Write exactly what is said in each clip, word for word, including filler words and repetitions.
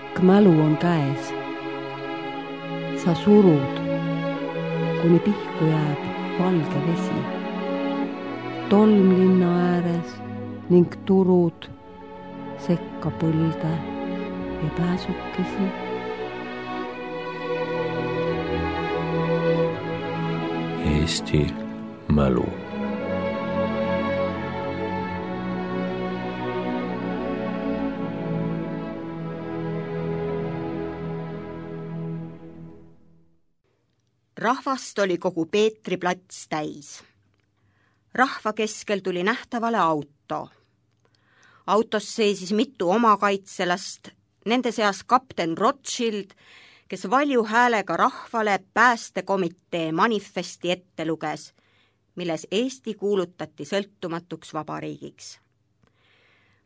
Pikk mälu on käes. Sa surud, kuni pihku jääb valge vesi. Tolm linna ääres ning turud sekka põlde ja pääsukesi. Eesti mälu. Rahvast oli kogu Peetri plats täis. Rahva keskel tuli nähtavale auto. Autos seisis mitu omakaitselast, nende seas kapten Rothschild, kes valju häälega rahvale päästekomitee manifesti ette luges, milles Eesti kuulutati sõltumatuks vabariigiks.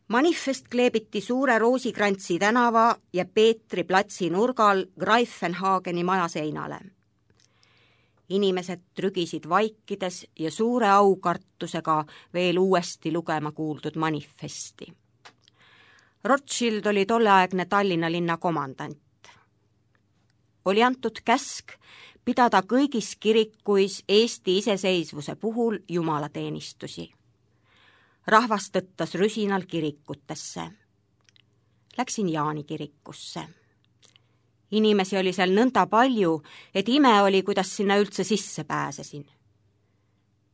Manifest kleebiti Suure Roosikrantsi tänava ja Peetri platsi nurgal Greifenhageni maja seinale. Inimesed trügisid vaikides ja suure aukartusega veel uuesti lugema kuuldud manifesti. Rothschild oli tolleaegne Tallinna linna komandant. Oli antud käsk pidada kõigis kirikuis Eesti iseseisvuse puhul jumalateenistusi. Rahvas tõttas rüsinal kirikutesse. Läksin Jaani kirikusse. Inimesi oli seal nõnda palju, et ime oli, kuidas sinna üldse sisse pääsesin.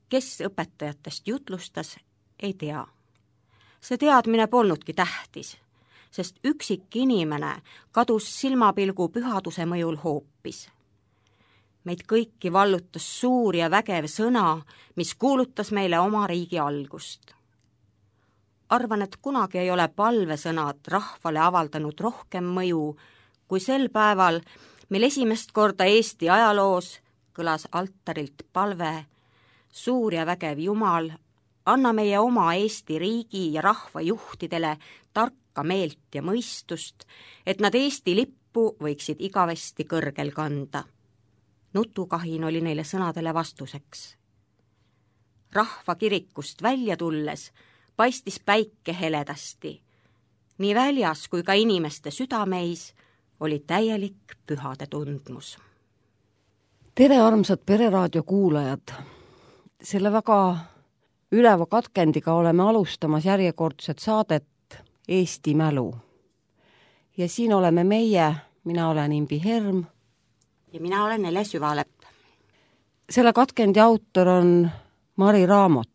Kes õpetajatest jutlustas, ei tea. See teadmine polnudki tähtis, sest üksik inimene kadus silmapilgu pühaduse mõjul hoopis. Meid kõiki vallutas suur ja vägev sõna, mis kuulutas meile oma riigi algust. Arvan, et kunagi ei ole palvesõnad rahvale avaldanud rohkem mõju, kui sel päeval, mil esimest korda Eesti ajaloos kõlas altarilt palve: suur ja vägev Jumal, anna meie oma Eesti riigi ja rahva juhtidele tarka meelt ja mõistust, et nad Eesti lippu võiksid igavesti kõrgel kanda. Nutukahin oli neile sõnadele vastuseks. Rahva kirikust välja tulles paistis päike heledasti. Nii väljas kui ka inimeste südameis oli täielik pühade tundmus. Tere, armsad Pereraadio kuulajad! Selle väga üleva katkendiga oleme alustamas järjekordset saadet Eesti mälu. Ja siin oleme meie, mina olen Imbi Herm. Ja mina olen Ele Süvalepp. Selle katkendi autor on Mari Raamot.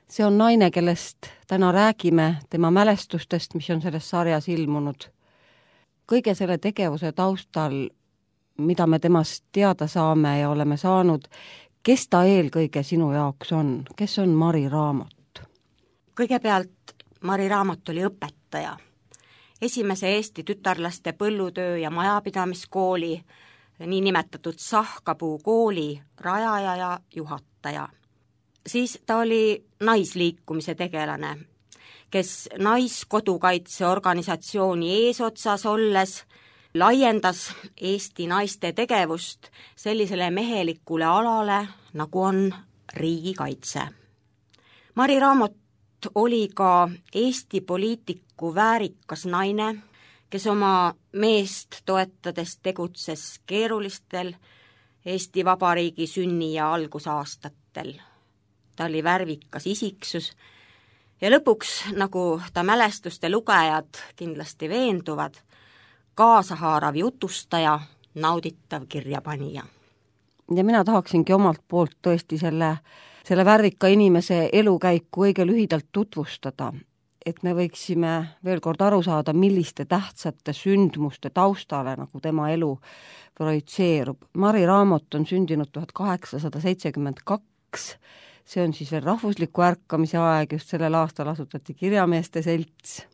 See on naine, kellest täna räägime, tema mälestustest, mis on selles sarjas ilmunud. Kõige selle tegevuse taustal, mida me temast teada saame ja oleme saanud, kes ta eelkõige sinu jaoks on? Kes on Mari Raamot? Kõigepealt Mari Raamot oli õpetaja. Esimese Eesti tütarlaste põllutöö ja majapidamiskooli, niinimetatud Sahkapuu kooli rajaja ja juhataja. Siis ta oli naisliikumise tegelane, kes naiskodukaitseorganisatsiooni eesotsas olles laiendas Eesti naiste tegevust sellisele mehelikule alale, nagu on riigikaitse. Mari Raamot oli ka Eesti poliitiku väärikas naine, kes oma meest toetades tegutses keerulistel Eesti Vabariigi sünni- ja algusaastatel. Ta oli värvikas isiksus ja lõpuks, nagu ta mälestuste lugejad kindlasti veenduvad, kaasahaarav jutustaja, nauditav kirjapanija. Ja mina tahaksingi omalt poolt tõesti selle, selle värvika inimese elukäiku õige lühidalt tutvustada, et me võiksime veel kord aru saada, milliste tähtsate sündmuste taustale, nagu tema elu projitseerub. Mari Raamot on sündinud tuhat kaheksasada seitsekümmend kaks. See on siis veel rahvusliku ärkamise aeg, just sellel aastal asutati Kirjameeste Selts.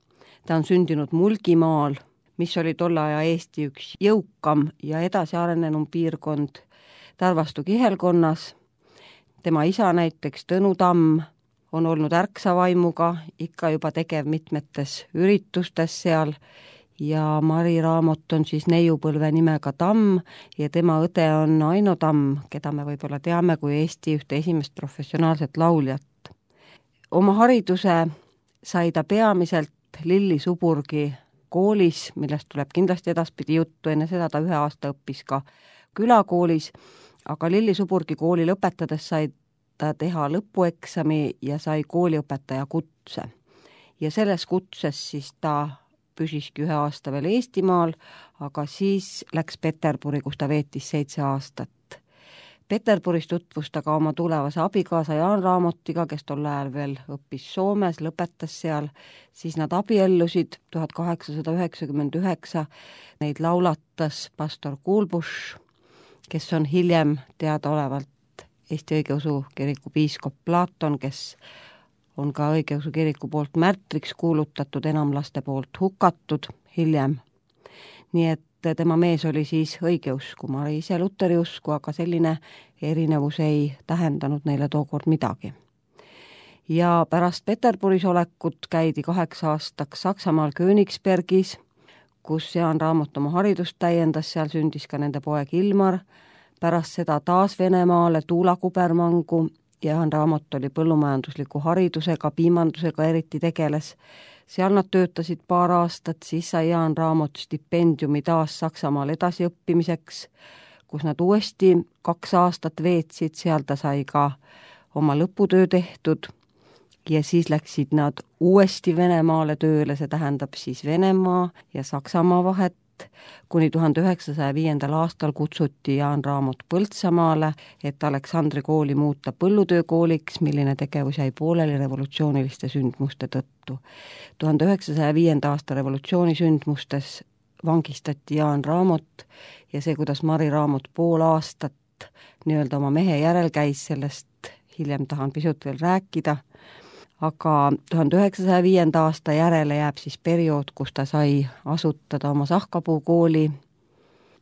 Ta on sündinud Mulgimaal, mis oli tolle aja Eesti üks jõukam ja edasi arenenum piirkond Tarvastu kihelkonnas. Tema isa näiteks Tõnu Tamm on olnud ärksa vaimuga, ikka juba tegev mitmetes üritustes seal, ja Mari Raamot on siis neiupõlve nimega Tamm ja tema õde on Aino Tamm, keda me võib-olla teame kui Eesti ühte esimest professionaalset lauljat. Oma hariduse sai ta peamiselt Lilli Suburgi koolis, millest tuleb kindlasti edaspidi juttu, enne seda ta ühe aasta õppis ka külakoolis, aga Lilli Suburgi kooli lõpetades sai ta teha lõpueksami ja sai kooliõpetaja kutse. Ja selles kutses siis ta püsiski ühe aasta veel Eestimaal, aga siis läks Peterburi, kus ta veetis seitse aastat. Peterburis tutvus ta ka oma tulevase abikaasa Jaan Raamotiga, kes tol ajal veel õppis Soomes, lõpetas seal, siis nad abiellusid tuhat kaheksasada üheksakümmend üheksa, neid laulatas pastor Kuulbusch, kes on hiljem teadaolevalt Eesti Õigeusu Kiriku piiskop Platon, kes on ka Õigeusu Kiriku poolt märtriks kuulutatud, enamlaste poolt hukatud hiljem. Nii et tema mees oli siis õigeusku, Mari ise luteriusku, aga selline erinevus ei tähendanud neile tookord midagi. Ja pärast Peterburis olekut käidi kaheks aastaks Saksamaal Königsbergis, kus Jaan Raamot oma haridust täiendas, seal sündis ka nende poeg Ilmar, pärast seda taas Venemaale Tuula Kubermangu, Jaan Raamot oli põllumajandusliku haridusega, piimandusega eriti tegeles. Seal nad töötasid paar aastat, siis sai Jaan Raamot stipendiumi taas Saksamaal edasiõppimiseks, kus nad uuesti kaks aastat veetsid, seal ta sai ka oma lõputöö tehtud ja siis läksid nad uuesti Venemaale tööle, see tähendab siis Venemaa ja Saksamaa vahet, kuni tuhande üheksasaja viiendal aastal kutsuti Jaan Raamot Põltsamaale, et Aleksandri kooli muuta põllutöökooliks, milline tegevus jäi pooleli revolutsiooniliste sündmuste tõttu. tuhande üheksasaja viienda aasta revolutsiooni sündmustes vangistati Jaan Raamot ja see, kuidas Mari Raamot pool aastat nii-öelda oma mehe järel käis, sellest hiljem tahan pisut veel rääkida, aga tuhande üheksasaja viienda aasta järele jääb siis periood, kus ta sai asutada oma Sahkapuu-kooli,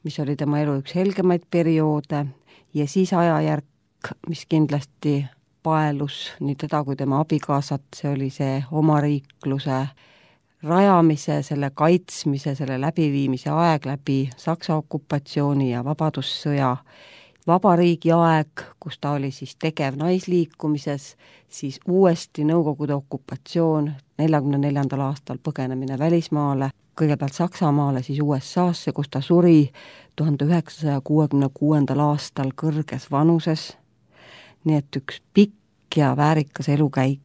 mis oli tema elu üks helgemaid perioode, ja siis ajajärk, mis kindlasti paelus nii teda kui tema abikaasat, see oli see omariikluse rajamise, selle kaitsmise, selle läbiviimise aeg läbi Saksa okupatsiooni ja vabadussõja vabariigi aeg, kus ta oli siis tegev naisliikumises, siis uuesti Nõukogude okupatsioon, neljakümne neljandal aastal põgenemine välismaale, kõigepealt Saksamaale, siis U S A-sse, kus ta suri tuhande üheksasaja kuuekümne kuuendal aastal kõrges vanuses, nii et üks pikk ja väärikas elukäik.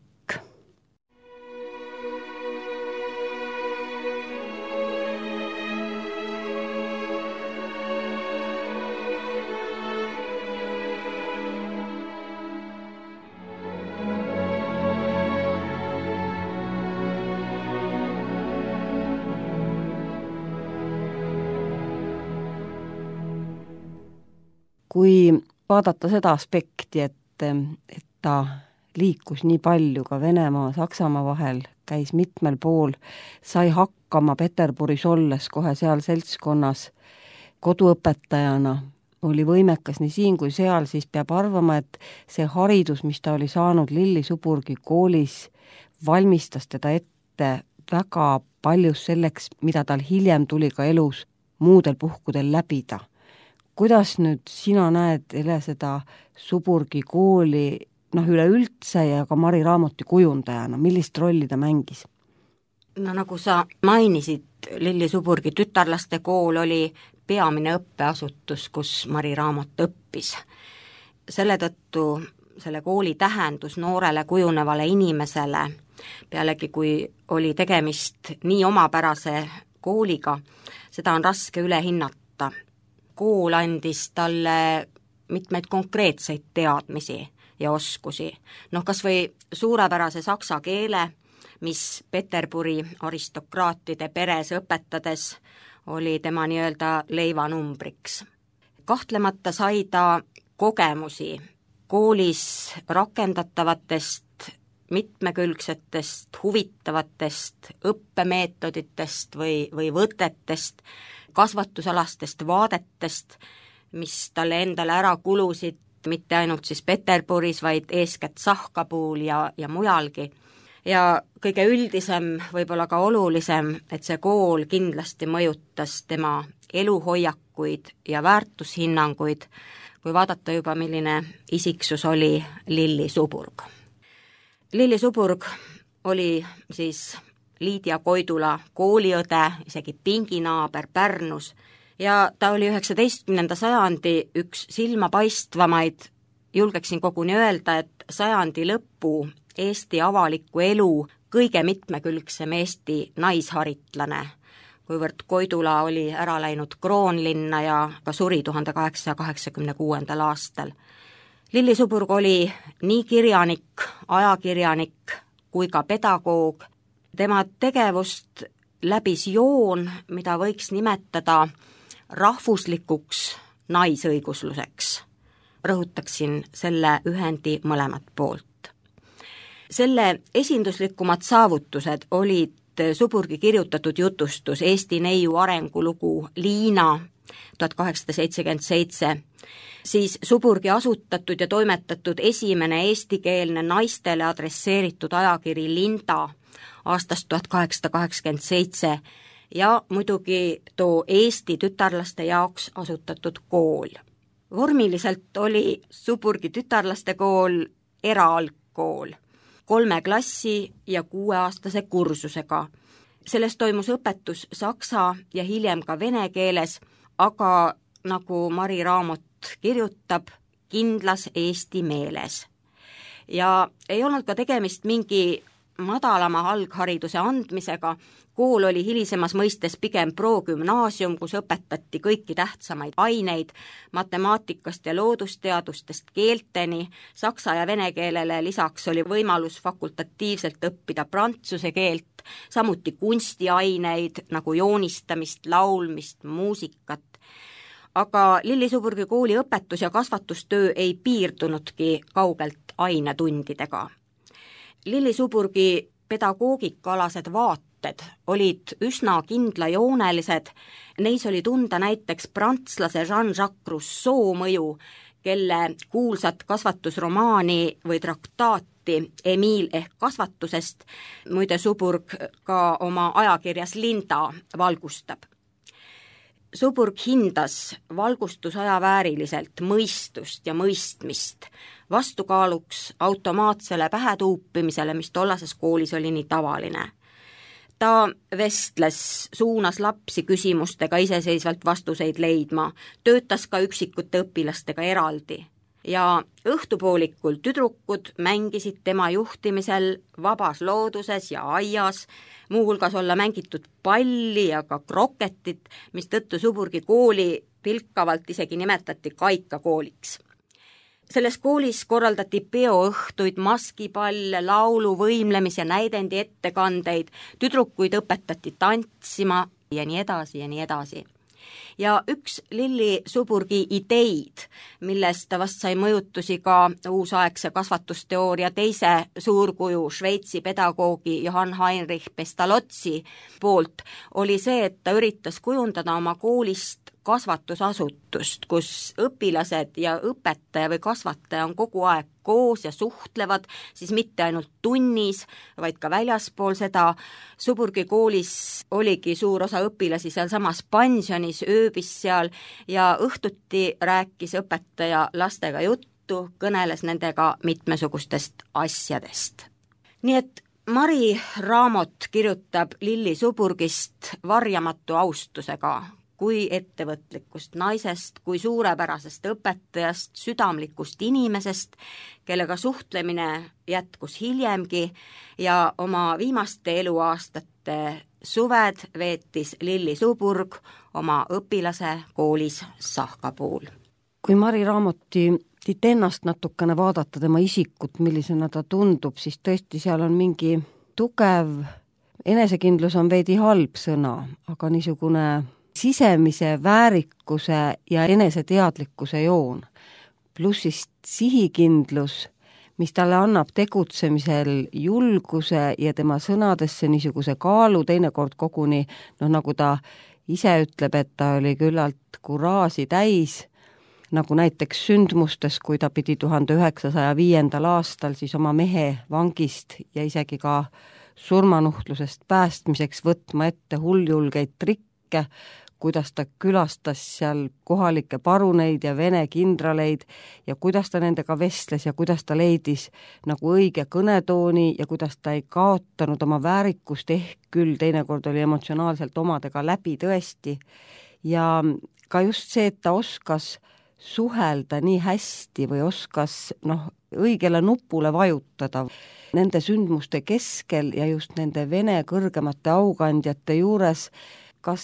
Kui vaadata seda aspekti, et, et ta liikus nii palju ka Venemaa, Saksamaa vahel, käis mitmel pool, sai hakkama Peterburis olles kohe seal seltskonnas koduõpetajana, oli võimekas nii siin kui seal, siis peab arvama, et see haridus, mis ta oli saanud Lilli Suburgi koolis, valmistas teda ette väga paljus selleks, mida tal hiljem tuli ka elus muudel puhkudel läbida. Kuidas nüüd sina näed, Ele, seda Suburgi kooli, noh üleüldse ja ka Mari Raamoti kujundajana, millist rolli ta mängis? No nagu sa mainisid, Lilli Suburgi tütarlaste kool oli peamine õppeasutus, kus Mari Raamot õppis. Selle tõttu selle kooli tähendus noorele kujunevale inimesele, pealegi kui oli tegemist nii omapärase kooliga, seda on raske üle hinnata. Kool andis talle mitmeid konkreetseid teadmisi ja oskusi. Noh, kas või suurepärase saksa keele, mis Peterburi aristokraatide peres õpetades oli tema nii-öelda leivanumbriks. Kahtlemata sai ta kogemusi koolis rakendatavatest, mitmekülgsetest, huvitavatest õppemeetoditest või, või võtetest, kasvatusalastest vaadetest, mis talle endale ära kulusid, mitte ainult siis Peterburis, vaid eeskätt Sahkapuul ja, ja mujalgi. Ja kõige üldisem, võib-olla ka olulisem, et see kool kindlasti mõjutas tema eluhoiakuid ja väärtushinnanguid, kui vaadata juba, milline isiksus oli Lilli Suburg. Lilli Suburg oli siis Liidia Koidula kooliõde, isegi pinginaaber Pärnus, ja ta oli üheksateistkümnenda sajandi üks silmapaistvamaid, julgeksin koguni öelda, et sajandi lõppu Eesti avaliku elu kõige mitmekülgsem Eesti naisharitlane, kuivõrd Koidula oli ära läinud Kroonlinna ja ka suri tuhande kaheksasaja kaheksakümne kuuendal aastal. Lilli Suburg oli nii kirjanik, ajakirjanik kui ka pedagoog. Tema tegevust läbis joon, mida võiks nimetada rahvuslikuks naisõigusluseks. Rõhutaksin selle ühendi mõlemat poolt. Selle esinduslikumad saavutused olid Suburgi kirjutatud jutustus Eesti neiu arengulugu Liina tuhat kaheksasada seitsekümmend seitse, siis Suburgi asutatud ja toimetatud esimene eestikeelne naistele adresseeritud ajakiri Linda aastast tuhat kaheksasada kaheksakümmend seitse ja muidugi too Eesti tütarlaste jaoks asutatud kool. Vormiliselt oli Suburgi tütarlaste kool eraalgkool, kolme klassi ja kuueaastase kursusega. Selles toimus õpetus saksa ja hiljem ka vene keeles, aga nagu Mari Raamot kirjutab, kindlas eesti meeles. Ja ei olnud ka tegemist mingi madalama alghariduse andmisega, kool oli hilisemas mõistes pigem progümnaasium, kus õpetati kõiki tähtsamaid aineid, matemaatikast ja loodusteadustest keelteni, saksa ja vene keelele lisaks oli võimalus fakultatiivselt õppida prantsuse keelt, samuti kunstiaineid nagu joonistamist, laulmist, muusikat. Aga Lilli Suburgi kooli õpetus- ja kasvatustöö ei piirdunudki kaugelt ainetundidega. Lilli Suburgi pedagoogikaalased vaated olid üsna kindlajoonelised, neis oli tunda näiteks prantslase Jean-Jacques Rousseau mõju, kelle kuulsat kasvatusromaani või traktaati Emil ehk kasvatusest muide Suburg ka oma ajakirjas Linda valgustab. Suburg hindas valgustusaja vääriliselt mõistust ja mõistmist, vastukaaluks automaatsele pähetuupimisele, mis tollases koolis oli nii tavaline. Ta vestles, suunas lapsi küsimustega iseseisvalt vastuseid leidma, töötas ka üksikute õpilastega eraldi. Ja õhtupoolikul tüdrukud mängisid tema juhtimisel vabas looduses ja aias, muuhulgas olla mängitud palli ja ka kroketit, mis tõttu Suburgi kooli pilkavalt isegi nimetati kaikakooliks. Selles koolis korraldati peoõhtuid, maskipalle, laulu, võimlemis- ja näidendi ettekandeid, tüdrukuid õpetati tantsima ja nii edasi ja nii edasi. Ja üks Lilli Suburgi ideid, millest ta vast sai mõjutusi ka uusaegse kasvatusteooria teise suurkuju Šveitsi pedagoogi Johann Heinrich Pestalozzi poolt, oli see, et ta üritas kujundada oma koolist kasvatusasutust, kus õpilased ja õpetaja või kasvataja on kogu aeg koos ja suhtlevad, siis mitte ainult tunnis, vaid ka väljaspool seda. Suburgi koolis oligi suur osa õpilasi seal samas pensionis, ööbis seal ja õhtuti rääkis õpetaja lastega juttu, kõneles nendega mitmesugustest asjadest. Nii et Mari Raamot kirjutab Lilli Suburgist varjamatu austusega, kui ettevõtlikust naisest, kui suurepärasest õpetajast, südamlikust inimesest, kellega suhtlemine jätkus hiljemgi ja oma viimaste eluaastate suved veetis Lilli Suburg oma õpilase koolis Sahkapuul. Kui Mari Raamoti ennast natukene vaadata, tema isikut, millisena ta tundub, siis tõesti seal on mingi tugev, enesekindlus on veidi halb sõna, aga niisugune sisemise väärikuse ja eneseteadlikkuse joon, plussist sihikindlus, mis talle annab tegutsemisel julguse ja tema sõnadesse niisuguse kaalu, teinekord koguni, noh nagu ta ise ütleb, et ta oli küllalt kuraasi täis, nagu näiteks sündmustes, kui ta pidi tuhande üheksasaja viiendal aastal siis oma mehe vangist ja isegi ka surmanuhtlusest päästmiseks võtma ette hulljulgeid trikke, kuidas ta külastas seal kohalikke paruneid ja vene kindraleid ja kuidas ta nendega vestles ja kuidas ta leidis nagu õige kõnetooni ja kuidas ta ei kaotanud oma väärikust, ehk küll teinekord oli emotsionaalselt omadega läbi tõesti. Ja ka just see, et ta oskas suhelda nii hästi või oskas noh, õigele nupule vajutada nende sündmuste keskel ja just nende Vene kõrgemate aukandjate juures, kas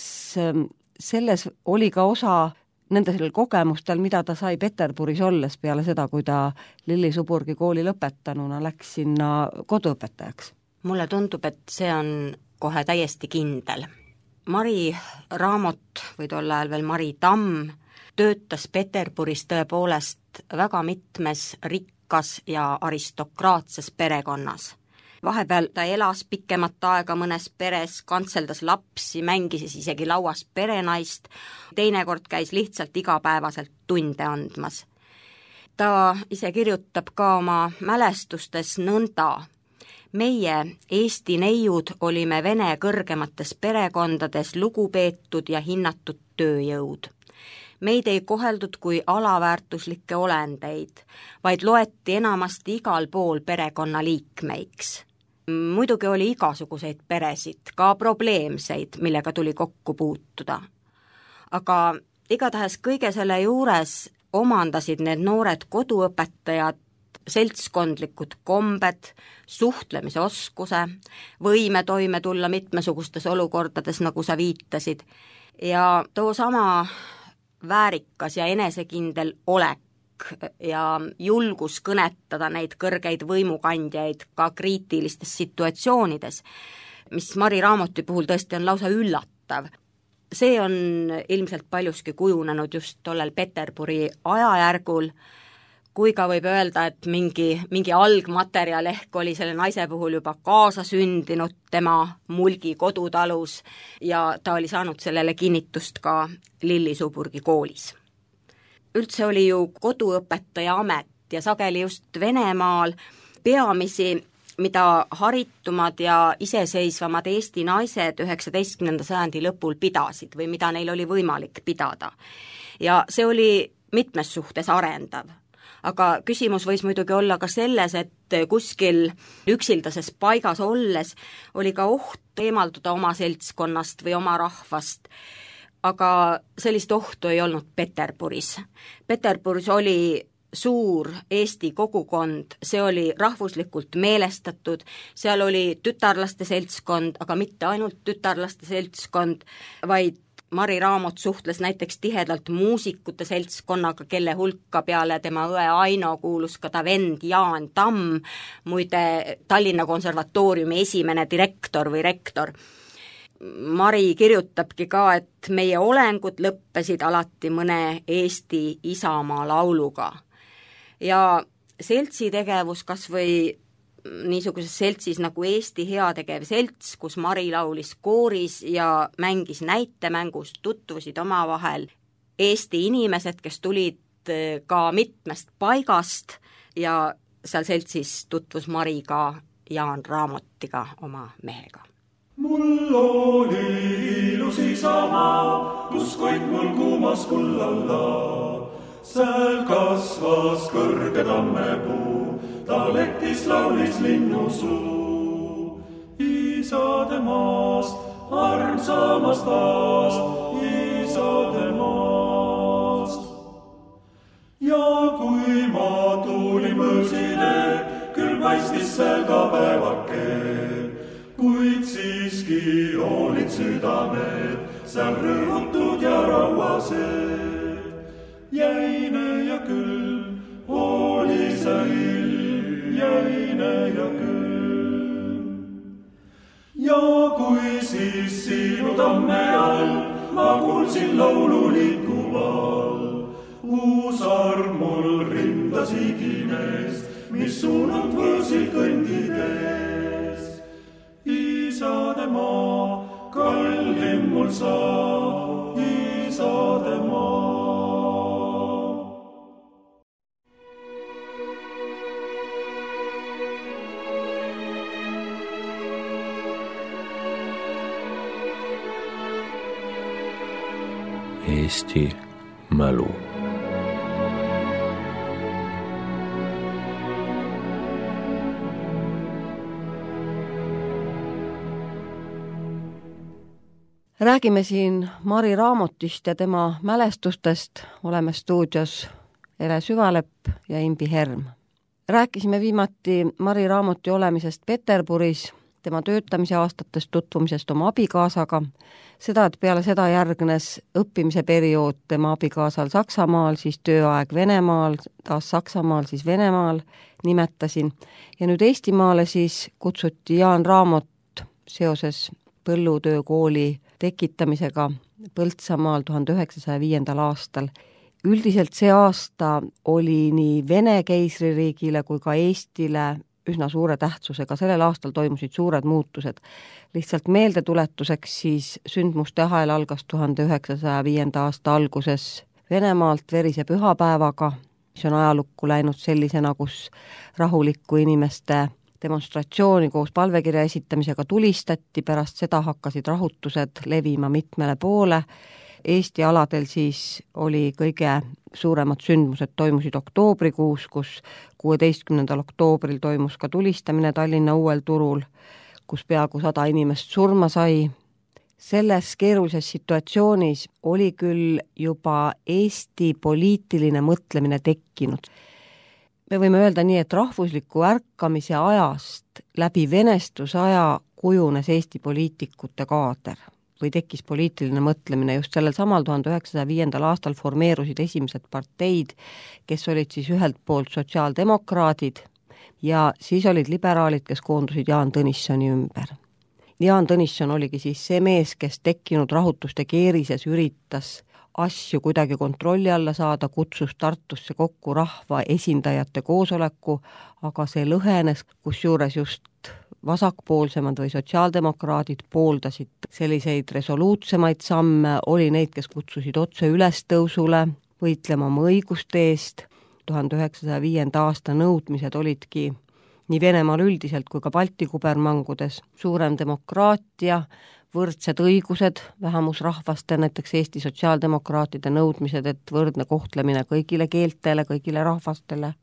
selles oli ka osa nendel kogemustel, mida ta sai Peterburis olles peale seda, kui ta Lilli-Suburgi kooli lõpetanuna läks sinna koduõpetajaks? Mulle tundub, et see on kohe täiesti kindel. Mari Raamot või tol ajal veel Mari Tamm töötas Peterburis tõepoolest väga mitmes rikkas ja aristokraatses perekonnas. Vahepeal ta elas pikemat aega mõnes peres, kantseldas lapsi, mängis isegi lauas perenaist, teinekord käis lihtsalt igapäevaselt tunde andmas. Ta ise kirjutab ka oma mälestustes nõnda. Meie, Eesti neiud, olime Vene kõrgemates perekondades lugupeetud ja hinnatud tööjõud. Meid ei koheldud kui alaväärtuslikke olendeid, vaid loeti enamasti igal pool perekonna liikmeiks. Muidugi oli igasuguseid peresid, ka probleemseid, millega tuli kokku puutuda. Aga igatahes kõige selle juures omandasid need noored koduõpetajad seltskondlikud kombed, suhtlemise oskuse, võime toime tulla mitmesugustes olukordades, nagu sa viitasid, ja too sama väärikas ja enesekindel olek ja julgus kõnetada neid kõrgeid võimukandjaid ka kriitilistes situatsioonides, mis Mari Raamoti puhul tõesti on lausa üllatav. See on ilmselt paljuski kujunenud just tollel Peterburi ajajärgul, kui ka võib öelda, et mingi, mingi algmaterjal ehk oli selle naise puhul juba kaasasündinud tema Mulgi kodutalus ja ta oli saanud sellele kinnitust ka Lilli-Suburgi koolis. Üldse oli ju koduõpetaja amet ja sageli just Venemaal peamisi, mida haritumad ja iseseisvamad Eesti naised üheksateistkümnenda sajandi lõpul pidasid või mida neil oli võimalik pidada. Ja see oli mitmes suhtes arendav. Aga küsimus võis muidugi olla ka selles, et kuskil üksildases paigas olles oli ka oht eemalduda oma seltskonnast või oma rahvast, aga sellist ohtu ei olnud Peterburis. Peterburis oli suur Eesti kogukond, see oli rahvuslikult meelestatud, seal oli tütarlaste seltskond, aga mitte ainult tütarlaste seltskond, vaid Mari Raamot suhtles näiteks tihedalt muusikute seltskonnaga, kelle hulka peale tema õe Aino kuulus ka ta vend Jaan Tamm, muide Tallinna konservatooriumi esimene direktor või rektor. Mari kirjutabki ka, et meie olengud lõppesid alati mõne Eesti isamaa lauluga. Ja seltsitegevus kas või niisuguses seltsis nagu Eesti heategev selts, kus Mari laulis kooris ja mängis näitemängus, tutvusid omavahel Eesti inimesed, kes tulid ka mitmest paigast ja seal seltsis tutvus Mari ka Jaan Raamotiga, oma mehega. Mul oli ilus isamaa, kus koit mul kuumas kullalla. Sääl kasvas kõrge tammepuu, ta lektis laulis linnusuu. Isade maast, armsamast aast, isade maast. Ja kui ma tulin võõrsile, küll paistis seal ka päevake, kuid siiski olid südamed seal rõhutud ja rauased. Jäine ja külm oli see ilm, jäine ja külm. Ja kui siis sinu tamme all ma kuulsin laulu liikuval, uus arm mul rindas igines, mis suunalt võõrsil kõndides. Isade maa, kallim mul saa, isade maa. Eesti mälu. Räägime siin Mari Raamotist ja tema mälestustest. Oleme stuudios Ele Süvalepp ja Imbi Herm. Rääkisime viimati Mari Raamoti olemisest Peterburis, tema töötamise aastatest, tutvumisest oma abikaasaga, seda, et peale seda järgnes õppimise periood tema abikaasal Saksamaal, siis tööaeg Venemaal, taas Saksamaal, siis Venemaal nimetasin. Ja nüüd Eestimaale siis kutsuti Jaan Raamot seoses põllutöökooli tekitamisega Põltsamaal tuhande üheksasaja viiendal aastal. Üldiselt see aasta oli nii Vene keisririigile kui ka Eestile üsna suure tähtsusega. Sellel aastal toimusid suured muutused. Lihtsalt meeldetuletuseks siis sündmuste ahel algas tuhande üheksasaja viienda aasta alguses Venemaalt verise pühapäevaga, mis on ajalukku läinud sellisena, kus rahulikku inimeste demonstratsiooni koos palvekirja esitamisega tulistati, pärast seda hakkasid rahutused levima mitmele poole. Eesti aladel siis oli kõige suuremad sündmused toimusid oktoobrikuus, kus kuueteistkümnendal oktoobril toimus ka tulistamine Tallinna Uuel turul, kus peaaegu sada inimest surma sai. Selles keerulises situatsioonis oli küll juba Eesti poliitiline mõtlemine tekkinud. Me võime öelda nii, et rahvusliku ärkamise ajast läbi venestusaja kujunes Eesti poliitikute kaader või tekkis poliitiline mõtlemine. Just sellel samal tuhande üheksasaja viiendal aastal formeerusid esimesed parteid, kes olid siis ühelt poolt sotsiaaldemokraadid ja siis olid liberaalid, kes koondusid Jaan Tõnissoni ümber. Jaan Tõnisson oligi siis see mees, kes tekkinud rahutuste keerises üritas asju kuidagi kontrolli alla saada, kutsus Tartusse kokku rahva esindajate koosoleku, aga see lõhenes, kusjuures just vasakpoolsemad või sotsiaaldemokraadid pooldasid selliseid resoluutsemaid samme, oli neid, kes kutsusid otse ülestõusule, võitlema oma õiguste eest. tuhande üheksasaja viienda aasta nõudmised olidki nii Venemaal üldiselt kui ka Balti kubermangudes suurem demokraatia, võrdsed õigused vähemusrahvaste, näiteks Eesti sotsiaaldemokraatide nõudmised, et võrdne kohtlemine kõigile keeltele, kõigile rahvastele.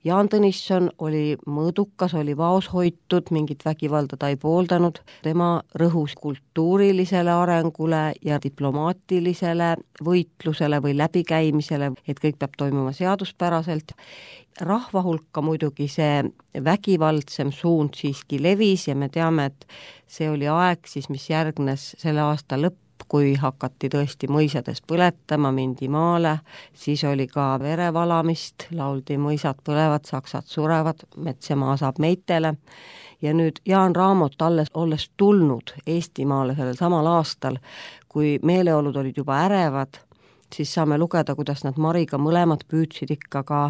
Jaan Tõnisson oli mõõdukas, oli vaos hoitud, mingit vägivalda ta ei pooldanud. Tema rõhus kultuurilisele arengule ja diplomaatilisele võitlusele või läbikäimisele, et kõik peab toimuma seaduspäraselt. Rahva hulka muidugi see vägivaldsem suund siiski levis ja me teame, et see oli aeg siis, mis järgnes selle aasta lõpp, kui hakati tõesti mõisades põletama, mindi maale, siis oli ka verevalamist, lauldi mõisad põlevad, saksad surevad, mets ja maa saab meitele. Ja nüüd Jaan Raamot alles olles tulnud Eestimaale sellel samal aastal, kui meeleolud olid juba ärevad, siis saame lugeda, kuidas nad Mariga mõlemad püüdsid ikka ka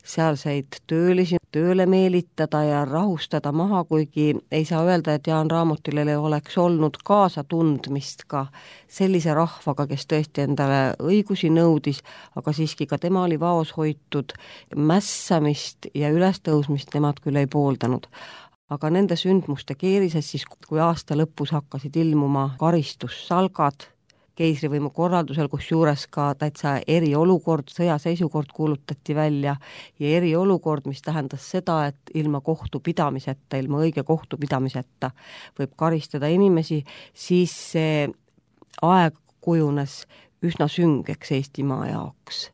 sealseid töölisi tööle meelitada ja rahustada maha, kuigi ei saa öelda, et Jaan Raamotil ei oleks olnud kaasatundmist ka sellise rahvaga, kes tõesti endale õigusi nõudis, aga siiski ka tema oli vaos hoitud, mässamist ja ülestõusmist nemad küll ei pooldanud. Aga nende sündmuste keerises siis, kui aasta lõpus hakkasid ilmuma karistussalgad, keisrivõimu korraldusel, kus juures ka täitsa eriolukord, sõjaseisukord kuulutati välja ja eriolukord, mis tähendas seda, et ilma kohtupidamiseta, ilma õige kohtupidamiseta võib karistada inimesi, siis see aeg kujunes üsna süngeks Eestimaa jaoks.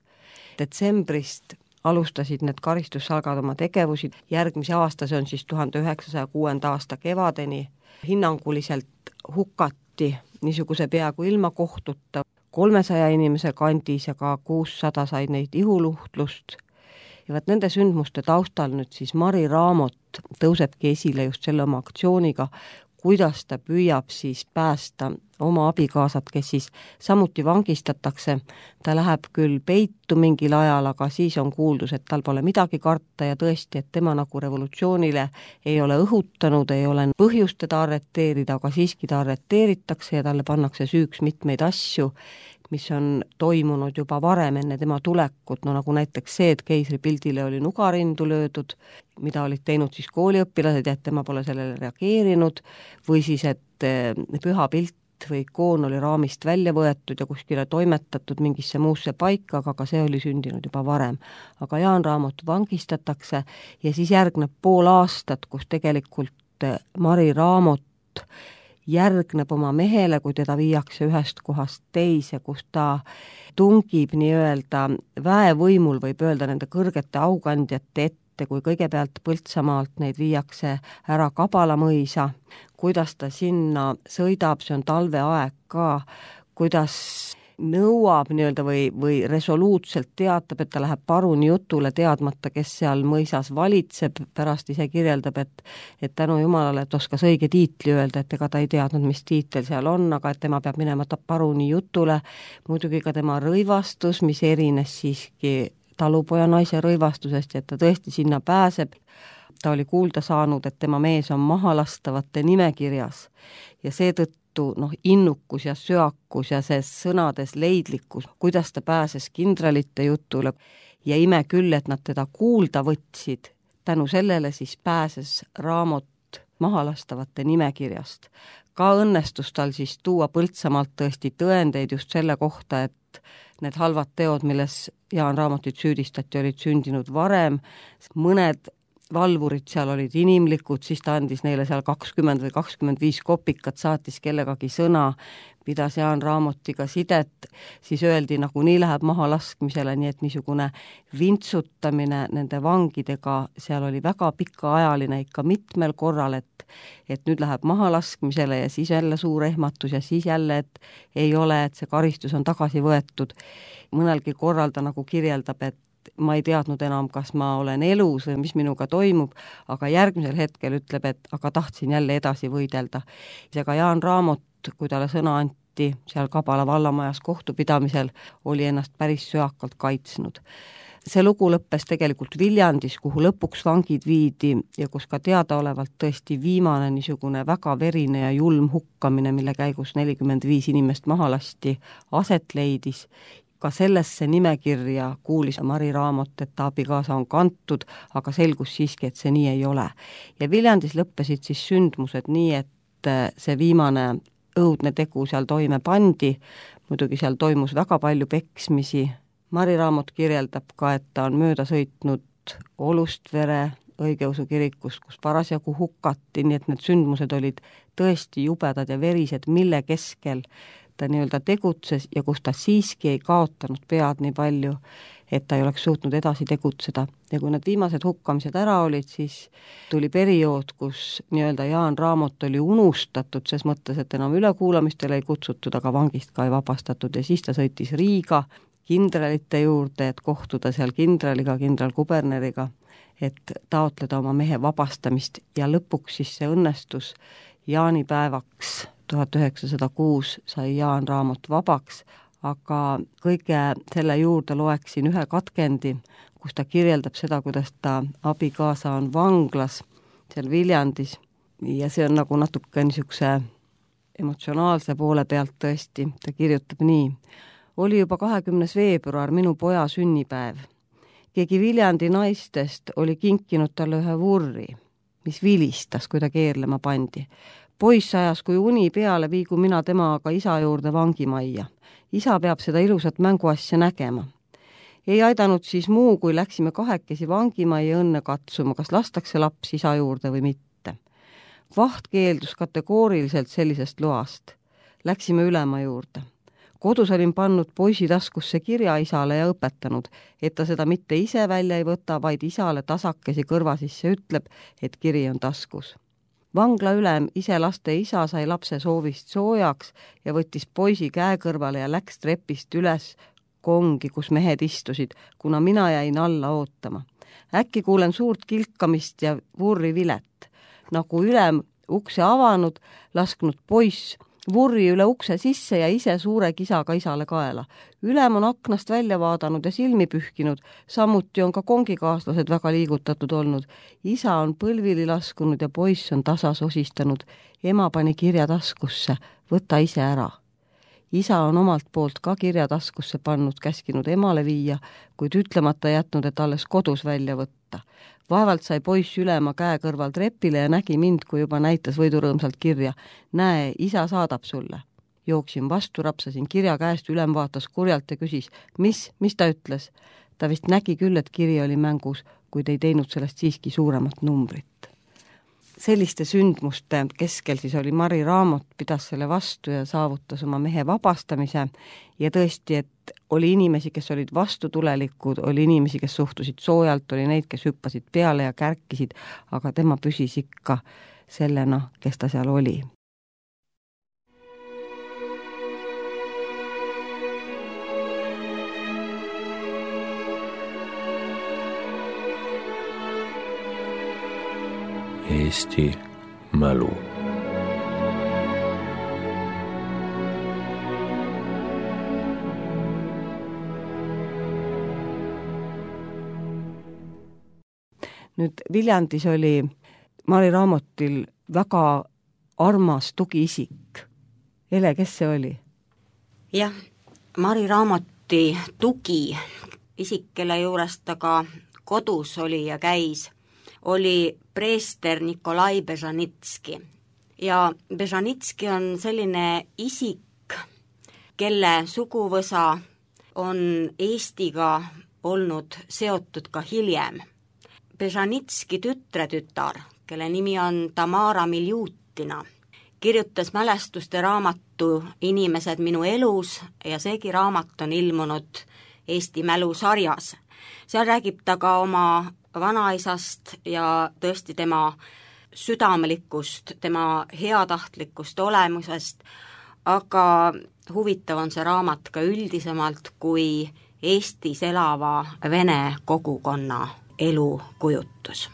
Detsembrist alustasid need karistussalgad oma tegevusi, järgmise aasta, see on siis tuhande üheksasaja kuuenda aasta kevadeni, hinnanguliselt hukati niisuguse peaaegu ilma kohtuta kolmesaja inimese kandis ja ka kuussada said neid ihuluhtlust. Ja vaat nende sündmuste taustal nüüd siis Mari Raamot tõusebki esile just selle oma aktsiooniga, kuidas ta püüab siis päästa oma abikaasat, kes siis samuti vangistatakse. Ta läheb küll peitu mingil ajal, aga siis on kuuldus, et tal pole midagi karta ja tõesti, et tema nagu revolutsioonile ei ole õhutanud, ei ole põhjust teda arreteerida, aga siiski ta arreteeritakse ja talle pannakse süüks mitmeid asju, mis on toimunud juba varem enne tema tulekut, no nagu näiteks see, et keisripildile oli nugarindu löödud, mida olid teinud siis kooliõpilased ja et tema pole sellele reageerinud, või siis, et püha pilt või ikoon oli raamist välja võetud ja kuskile toimetatud mingisse muusse paika, aga ka see oli sündinud juba varem. aga Jaan Raamot vangistatakse ja siis järgneb pool aastat, kus tegelikult Mari Raamot järgneb oma mehele, kui teda viiakse ühest kohast teise, kus ta tungib nii-öelda väevõimul, võib öelda nende kõrgete aukandjate ette, kui kõigepealt Põltsamaalt neid viiakse ära Kabalamõisa, kuidas ta sinna sõidab, see on talveaeg ka, kuidas nõuab nii-öelda või, või resoluutselt teatab, et ta läheb paruni jutule, teadmata, kes seal mõisas valitseb, pärast ise kirjeldab, et et tänu Jumalale, et oskas õige tiitli öelda, et ega ta ei teadnud, mis tiitel seal on, aga et tema peab minema ta paruni jutule, muidugi ka tema rõivastus, mis erines siiski talupoja naise rõivastusest ja et ta tõesti sinna pääseb. Ta oli kuulda saanud, et tema mees on mahalastavate nimekirjas ja seetõttu noh, innukus ja söakus ja see sõnades leidlikkus, kuidas ta pääses kindralite jutule ja ime küll, et nad teda kuulda võtsid, tänu sellele siis pääses Raamot mahalastavate nimekirjast. Ka õnnestus tal siis tuua Põltsamaalt tõesti tõendeid just selle kohta, et need halvad teod, milles Jaan Raamotit süüdistati, olid sündinud varem, mõned valvurid seal olid inimlikud, siis ta andis neile seal kakskümmend või kakskümmend viis kopikat, saatis kellegagi sõna, pidas Jaan Raamotiga sidet, siis öeldi, nagu nii läheb maha laskmisele, nii et niisugune vintsutamine nende vangidega, seal oli väga pikaajaline ikka mitmel korral, et, et nüüd läheb maha laskmisele ja siis jälle suur ehmatus ja siis jälle, et ei ole, et see karistus on tagasi võetud. Mõnelgi korral ta nagu kirjeldab, et ma ei teadnud enam, kas ma olen elus või mis minuga toimub, aga järgmisel hetkel ütleb, et aga tahtsin jälle edasi võidelda. Seega Jaan Raamot, kui talle sõna anti seal Kabala vallamajas kohtupidamisel, oli ennast päris söakalt kaitsnud. See lugu lõppes tegelikult Viljandis, kuhu lõpuks vangid viidi ja kus ka teadaolevalt tõesti viimane niisugune väga verine ja julm hukkamine, mille käigus nelikümmend viis inimest maha lasti, aset leidis. Ka sellesse nimekirja kuulis Mari Raamot, et ta abikaasa on kantud, aga selgus siiski, et see nii ei ole. Ja Viljandis lõppesid siis sündmused nii, et see viimane õudne tegu seal toime pandi, muidugi seal toimus väga palju peksmisi. Mari Raamot kirjeldab ka, et ta on mööda sõitnud Olustvere õigeusu kirikust, kus parasjagu hukati, nii et need sündmused olid tõesti jubedad ja verised, mille keskel ta nii-öelda tegutses ja kus ta siiski ei kaotanud pead nii palju, et ta ei oleks suutnud edasi tegutseda. Ja kui need viimased hukkamised ära olid, siis tuli periood, kus nii-öelda Jaan Raamot oli unustatud, ses mõttes, et enam ülekuulamistele ei kutsutud, aga vangist ka ei vabastatud ja siis ta sõitis Riiga kindralite juurde, et kohtuda seal kindraliga, kindral Kuberneriga, et taotleda oma mehe vabastamist ja lõpuks siis see õnnestus jaanipäevaks tuhat üheksasada kuus sai Jaan Raamot vabaks, aga kõige selle juurde loeksin ühe katkendi, kus ta kirjeldab seda, kuidas ta abikaasa on vanglas seal Viljandis ja see on nagu natuke niisuguse emotsionaalse poole pealt tõesti, ta kirjutab nii. Oli juba kahekümnes veebruar minu poja sünnipäev. Keegi Viljandi naistest oli kinkinud talle ühe vurri, mis vilistas, kui ta keerlema pandi. Poiss ajas, kui uni peale, viigu mina temaga isa juurde vangimajja. Isa peab seda ilusat mänguasja nägema. Ei aidanud siis muu, kui läksime kahekesi vangimajja õnne katsuma, kas lastakse laps isa juurde või mitte. Vaht keeldus kategooriliselt sellisest loast. Läksime ülema juurde. Kodus olin pannud poisi taskusse kirja isale ja õpetanud, et ta seda mitte ise välja ei võta, vaid isale tasakesi kõrva sisse ütleb, et kiri on taskus. Vangla ülem ise laste isa sai lapse soovist soojaks ja võttis poisi käe kõrvale ja läks trepist üles kongi, kus mehed istusid, kuna mina jäin alla ootama. Äkki kuulen suurt kilkamist ja vurri vilet. Nagu ülem ukse avanud, lasknud poiss vurri üle ukse sisse ja ise suure kisaga isale kaela. Ülem on aknast välja vaadanud ja silmi pühkinud, samuti on ka kongikaaslased väga liigutatud olnud. Isa on põlvili laskunud ja poiss on tasa sosistanud. Ema pani kirja taskusse, võta ise ära. Isa on omalt poolt ka kirja taskusse pannud, käskinud emale viia, kuid ütlemata jätnud, et alles kodus välja võtta. Vaevalt sai poiss ülema käe kõrval trepile ja nägi mind, kui juba näitas võidurõõmsalt kirja. Näe, isa saadab sulle. jooksin vastu, rapsasin kirja käest, ülem vaatas kurjalt ja küsis, mis, mis ta ütles? Ta vist nägi küll, et kiri oli mängus, kuid ei teinud sellest siiski suuremat numbrit. Selliste sündmuste keskel siis oli Mari Raamot, pidas selle vastu ja saavutas oma mehe vabastamise ja tõesti, et oli inimesi, kes olid vastutulelikud, oli inimesi, kes suhtusid soojalt, oli neid, kes hüppasid peale ja kärkisid, aga tema püsis ikka sellena, kes ta seal oli. Eesti mälu. Nüüd Viljandis oli Mari Raamotil väga armas tugiisik. Ele, kes see oli? Jah, Mari Raamoti tugi isik, kelle juures ta ka kodus oli ja käis, oli preester Nikolai Bežanitski. Ja Bežanitski on selline isik, kelle suguvõsa on Eestiga olnud seotud ka hiljem. Bežanitski tütretütar, kelle nimi on Tamara Miljutina, kirjutas mälestuste raamatu Inimesed minu elus ja seegi raamat on ilmunud Eesti mälu sarjas. Seal räägib ta ka oma vanaisast ja tõesti tema südamelikust, tema heatahtlikust olemusest, aga huvitav on see raamat ka üldisemalt kui Eestis elava vene kogukonna elukujutus.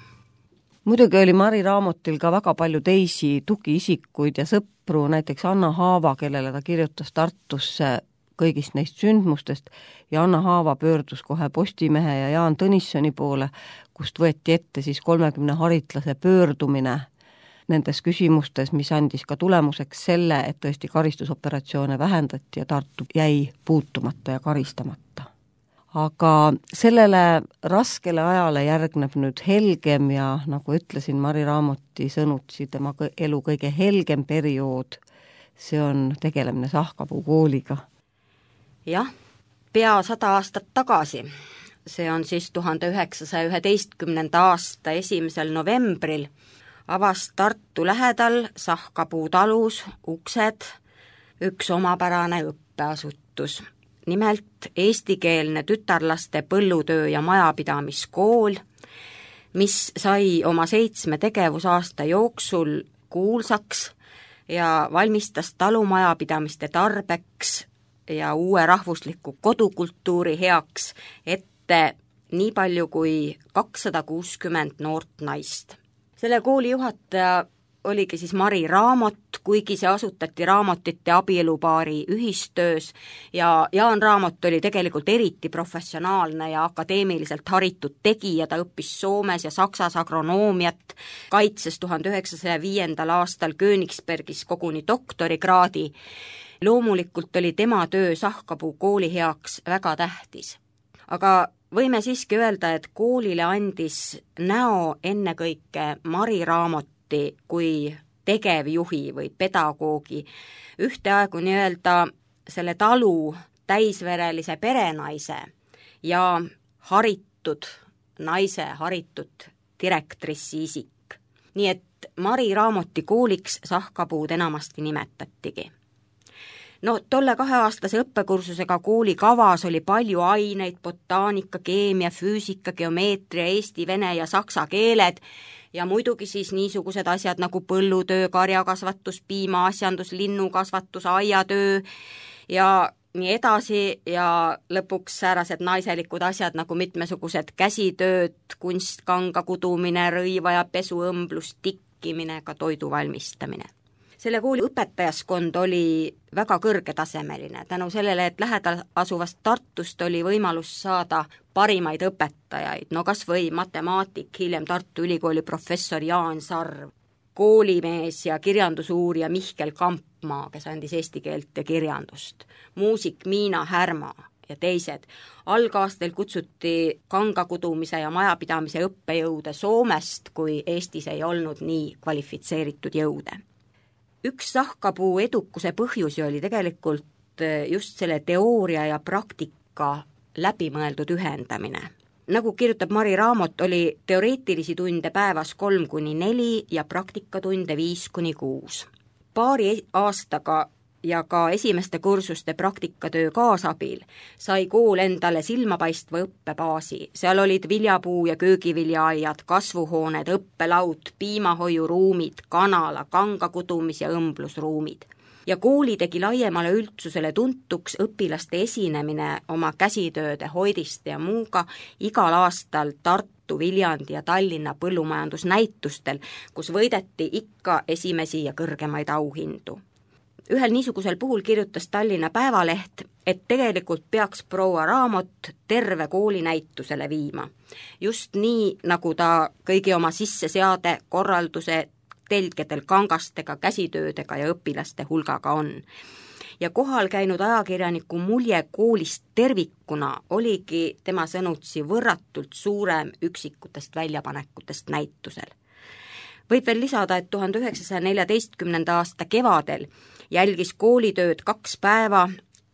Muidugi oli Mari Raamotil ka väga palju teisi tugiisikuid ja sõpru, näiteks Anna Haava, kellele ta kirjutas Tartusse kõigist neist sündmustest ja Anna Haava pöördus kohe Postimehe ja Jaan Tõnissoni poole, kust võeti ette siis kolmekümne haritlase pöördumine nendes küsimustes, mis andis ka tulemuseks selle, et tõesti karistusoperatsioone vähendati ja Tartu jäi puutumata ja karistamata. Aga sellele raskele ajale järgneb nüüd helgem ja nagu ütlesin, Mari Raamoti sõnutsi tema elu kõige helgem periood, see on tegelemine Sahkapuu kooliga. Jah, pea sada aastat tagasi, see on siis tuhande üheksasaja üheteistkümnenda aasta esimesel novembril, avas Tartu lähedal Sahkapuu talus uksed üks omapärane õppeasutus. Nimelt eestikeelne tütarlaste põllutöö ja majapidamiskool, mis sai oma seitsme tegevusaasta jooksul kuulsaks ja valmistas talumajapidamiste tarbeks ja uue rahvusliku kodukultuuri heaks ette nii palju kui kakssada kuuskümmend noort naist. Selle kooli juhataja oligi siis Mari Raamot, kuigi see asutati Raamotite abielupaari ühistöös ja Jaan Raamot oli tegelikult eriti professionaalne ja akadeemiliselt haritud tegija, ta õppis Soomes ja Saksas agronoomiat, kaitses tuhande üheksasaja viiendal aastal Königsbergis koguni doktorikraadi. Loomulikult oli tema töö Sahkapuu kooli heaks väga tähtis. Aga võime siiski öelda, et koolile andis näo ennekõike Mari Raamot kui tegevjuhi või pedagoogi, ühteaegu nii-öelda selle talu täisverelise perenaise ja haritud naise, haritud direktrissi isik. Nii et Mari Raamoti kooliks Sahkapuud enamasti nimetatigi. No tolle kaheaastase õppekursusega kooli kavas oli palju aineid, botaanika, keemia, füüsika, geomeetria, eesti, vene ja saksa keeled ja muidugi siis niisugused asjad nagu põllutöö, karjakasvatus, piimaasjandus, linnukasvatus, aiatöö ja nii edasi ja lõpuks säärased naiselikud asjad nagu mitmesugused käsitööd, kunstkanga kudumine, rõiva ja pesuõmblus, tikkimine, ka toidu valmistamine. Selle kooli õpetajaskond oli väga kõrgetasemeline, tänu sellele, et lähedal asuvast Tartust oli võimalus saada parimaid õpetajaid, no kas või matemaatik, hiljem Tartu Ülikooli professor Jaan Sarv, koolimees ja kirjandusuurija Mihkel Kampmaa, kes andis eesti keelt ja kirjandust, muusik Miina Härma ja teised. Algaastel kutsuti kangakudumise ja majapidamise õppejõude Soomest, kui Eestis ei olnud nii kvalifitseeritud jõude. üks Sahkapuu edukuse põhjusi oli tegelikult just selle teooria ja praktika läbimõeldud ühendamine. Nagu kirjutab Mari Raamot, oli teoreetilisi tunde päevas kolm kuni neli ja praktikatunde viis kuni kuus. Paari aastaga ja ka esimeste kursuste praktikatöö kaasabil sai kool endale silmapaistva õppebaasi. Seal olid viljapuu- ja köögiviljaaiad, kasvuhooned, õppelaud, piimahoiuruumid, kanala, kangakudumis- ja õmblusruumid. Ja kooli tegi laiemale üldsusele tuntuks õpilaste esinemine oma käsitööde, hoidiste ja muuga igal aastal Tartu, Viljandi ja Tallinna põllumajandusnäitustel, kus võideti ikka esimesi ja kõrgemaid auhindu. Ühel niisugusel puhul kirjutas Tallinna Päevaleht, et tegelikult peaks proua Raamot terve kooli näitusele viima. Just nii, nagu ta kõigi oma sisseseade, korralduse, telgedel kangastega, käsitöödega ja õpilaste hulgaga on. Ja kohal käinud ajakirjaniku mulje koolist tervikuna oligi tema sõnutsi võrratult suurem üksikutest väljapanekutest näitusel. Võib veel lisada, et tuhande üheksasaja neljateistkümnenda aasta kevadel jälgis koolitööd kaks päeva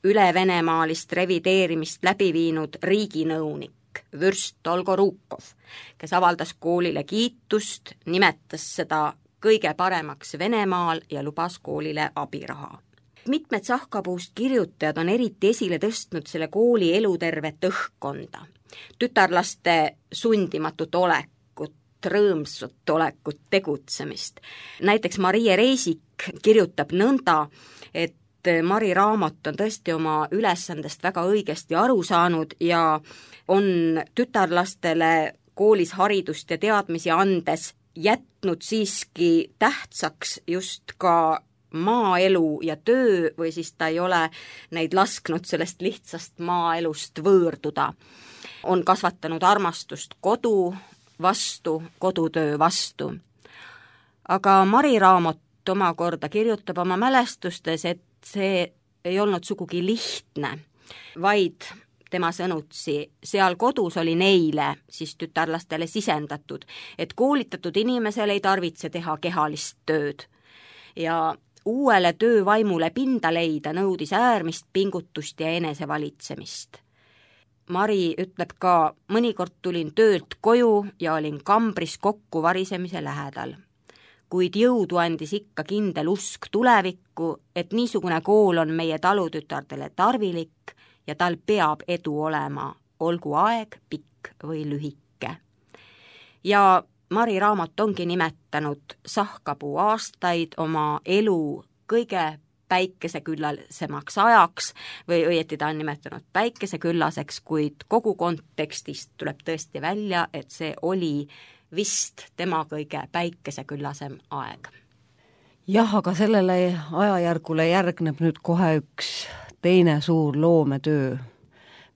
ülevenemaalist revideerimist läbi viinud riiginõunik Vürst Dolgorukov, kes avaldas koolile kiitust, nimetas seda kõige paremaks Venemaal ja lubas koolile abiraha. Mitmed Sahkapuust kirjutajad on eriti esile tõstnud selle kooli elutervet õhkkonda, tütarlaste sundimatut olekut, rõõmsat olekut, tegutsemist. Näiteks Marie Reisik kirjutab nõnda, et Mari Raamot on tõesti oma ülesandest väga õigesti aru saanud ja on tütarlastele koolis haridust ja teadmisi andes jätnud siiski tähtsaks just ka maaelu ja töö või siis ta ei ole neid lasknud sellest lihtsast maaelust võõrduda. On kasvatanud armastust kodu vastu, kodutöö vastu. Aga Mari Raamot omakorda kirjutab oma mälestustes, et see ei olnud sugugi lihtne, vaid tema sõnutsi, seal kodus oli neile, siis tütarlastele sisendatud, et koolitatud inimesel ei tarvitse teha kehalist tööd. Ja uuele töövaimule pinda leida nõudis äärmist pingutust ja enesevalitsemist. Mari ütleb ka, mõnikord tulin töölt koju ja olin kambris kokku varisemise lähedal. Kuid jõudu andis ikka kindel usk tulevikku, et niisugune kool on meie talutütardele tarvilik ja tal peab edu olema, olgu aeg pikk või lühike. Ja Mari Raamot ongi nimetanud Sahkapuu aastaid oma elu kõige päikeseküllasemaks ajaks või õieti ta on nimetanud päikeseküllaseks, kuid kogu kontekstist tuleb tõesti välja, et see oli vist tema kõige päikeseküllasem aeg. Jah, aga sellele ajajärgule järgneb nüüd kohe üks teine suur loometöö,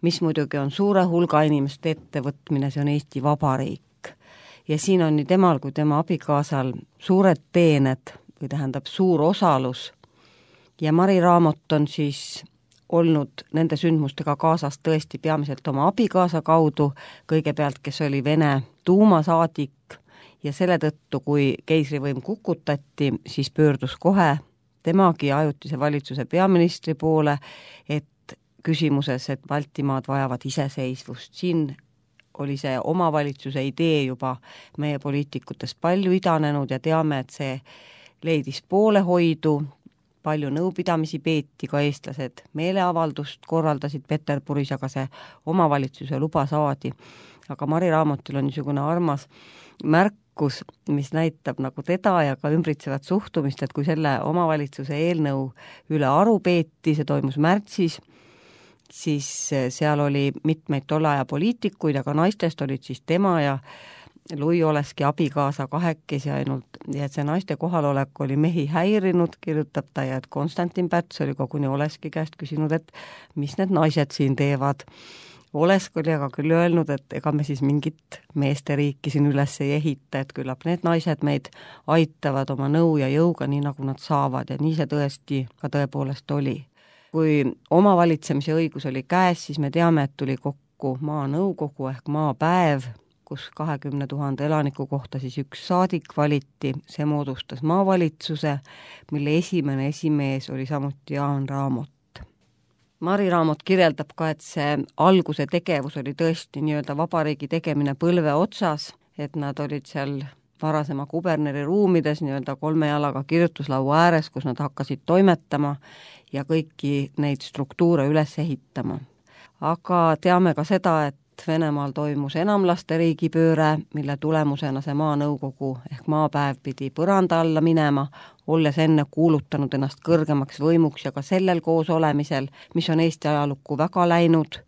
mis muidugi on suure hulga inimeste ettevõtmine, see on Eesti Vabariik. Ja siin on nii temal kui tema abikaasal suured teened või tähendab suur osalus ja Mari Raamot on siis olnud nende sündmustega kaasas tõesti peamiselt oma abikaasa kaudu, kõigepealt, kes oli Vene tuumasaadik ja selle tõttu, kui keisrivõim kukutati, siis pöördus kohe temagi ajutise valitsuse peaministri poole, et küsimuses, et Baltimaad vajavad iseseisvust. Siin oli see omavalitsuse idee juba meie poliitikutest palju idanenud ja teame, et see leidis poolehoidu, palju nõupidamisi peeti, ka eestlased meeleavaldust korraldasid Peterburis, aga see omavalitsuse luba saadi. Aga Mari Raamotil on niisugune armas märkus, mis näitab nagu teda ja ka ümbritsevat suhtumist, et kui selle omavalitsuse eelnõu üle aru peeti, see toimus märtsis, siis seal oli mitmeid tollaja poliitikuid, aga naistest olid siis tema ja Lui Oleski abikaasa kahekesi ainult, ja et see naiste kohalolek oli mehi häirinud, kirjutab ta, ja et Konstantin Päts oli koguni Oleski käest küsinud, et mis need naised siin teevad. Olesk oli aga küll öelnud, et ega me siis mingit meeste riiki siin üles ei ehita, et küllap need naised meid aitavad oma nõu ja jõuga, nii nagu nad saavad, ja nii see tõesti ka tõepoolest oli. Kui omavalitsemise õigus oli käes, siis me teame, et tuli kokku maanõukogu ehk maapäev, kus kahekümne tuhande elaniku kohta siis üks saadik valiti, see moodustas maavalitsuse, mille esimene esimees oli samuti Jaan Raamot. Mari Raamot kirjeldab ka, et see alguse tegevus oli tõesti nii-öelda vabariigi tegemine põlve otsas, et nad olid seal varasema kuberneri ruumides nii-öelda kolme jalaga kirjutuslaua ääres, kus nad hakkasid toimetama ja kõiki neid struktuure üles ehitama. Aga teame ka seda, et Venemaal toimus enamlaste riigipööre, mille tulemusena see maanõukogu ehk maapäev pidi põranda alla minema, olles enne kuulutanud ennast kõrgemaks võimuks ja ka sellel koos olemisel, mis on Eesti ajalukku väga läinud,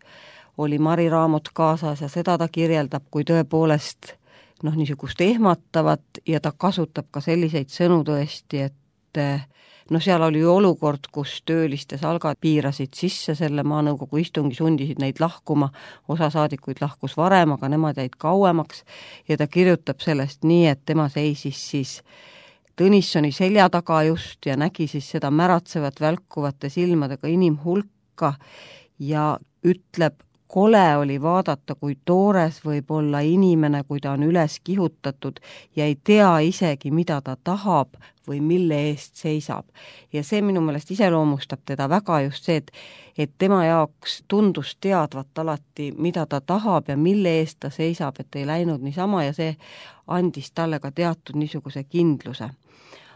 oli Mari Raamot kaasas ja seda ta kirjeldab kui tõepoolest noh, niisugust ehmatavat ja ta kasutab ka selliseid sõnu tõesti, et no seal oli ju olukord, kus tööliste salgad piirasid sisse selle maanõukogu istungi, sundisid neid lahkuma, osa saadikuid lahkus varem, aga nemad jäid kauemaks ja ta kirjutab sellest nii, et tema seisis siis Tõnissoni selja taga just ja nägi siis seda märatsevat välkuvate silmadega inimhulka ja ütleb, kole oli vaadata, kui toores võib olla inimene, kui ta on üles kihutatud ja ei tea isegi, mida ta tahab või mille eest seisab. Ja see minu meelest iseloomustab teda väga just see, et, et tema jaoks tundus teadvat alati, mida ta tahab ja mille eest ta seisab, et ei läinud niisama ja see andis talle ka teatud niisuguse kindluse.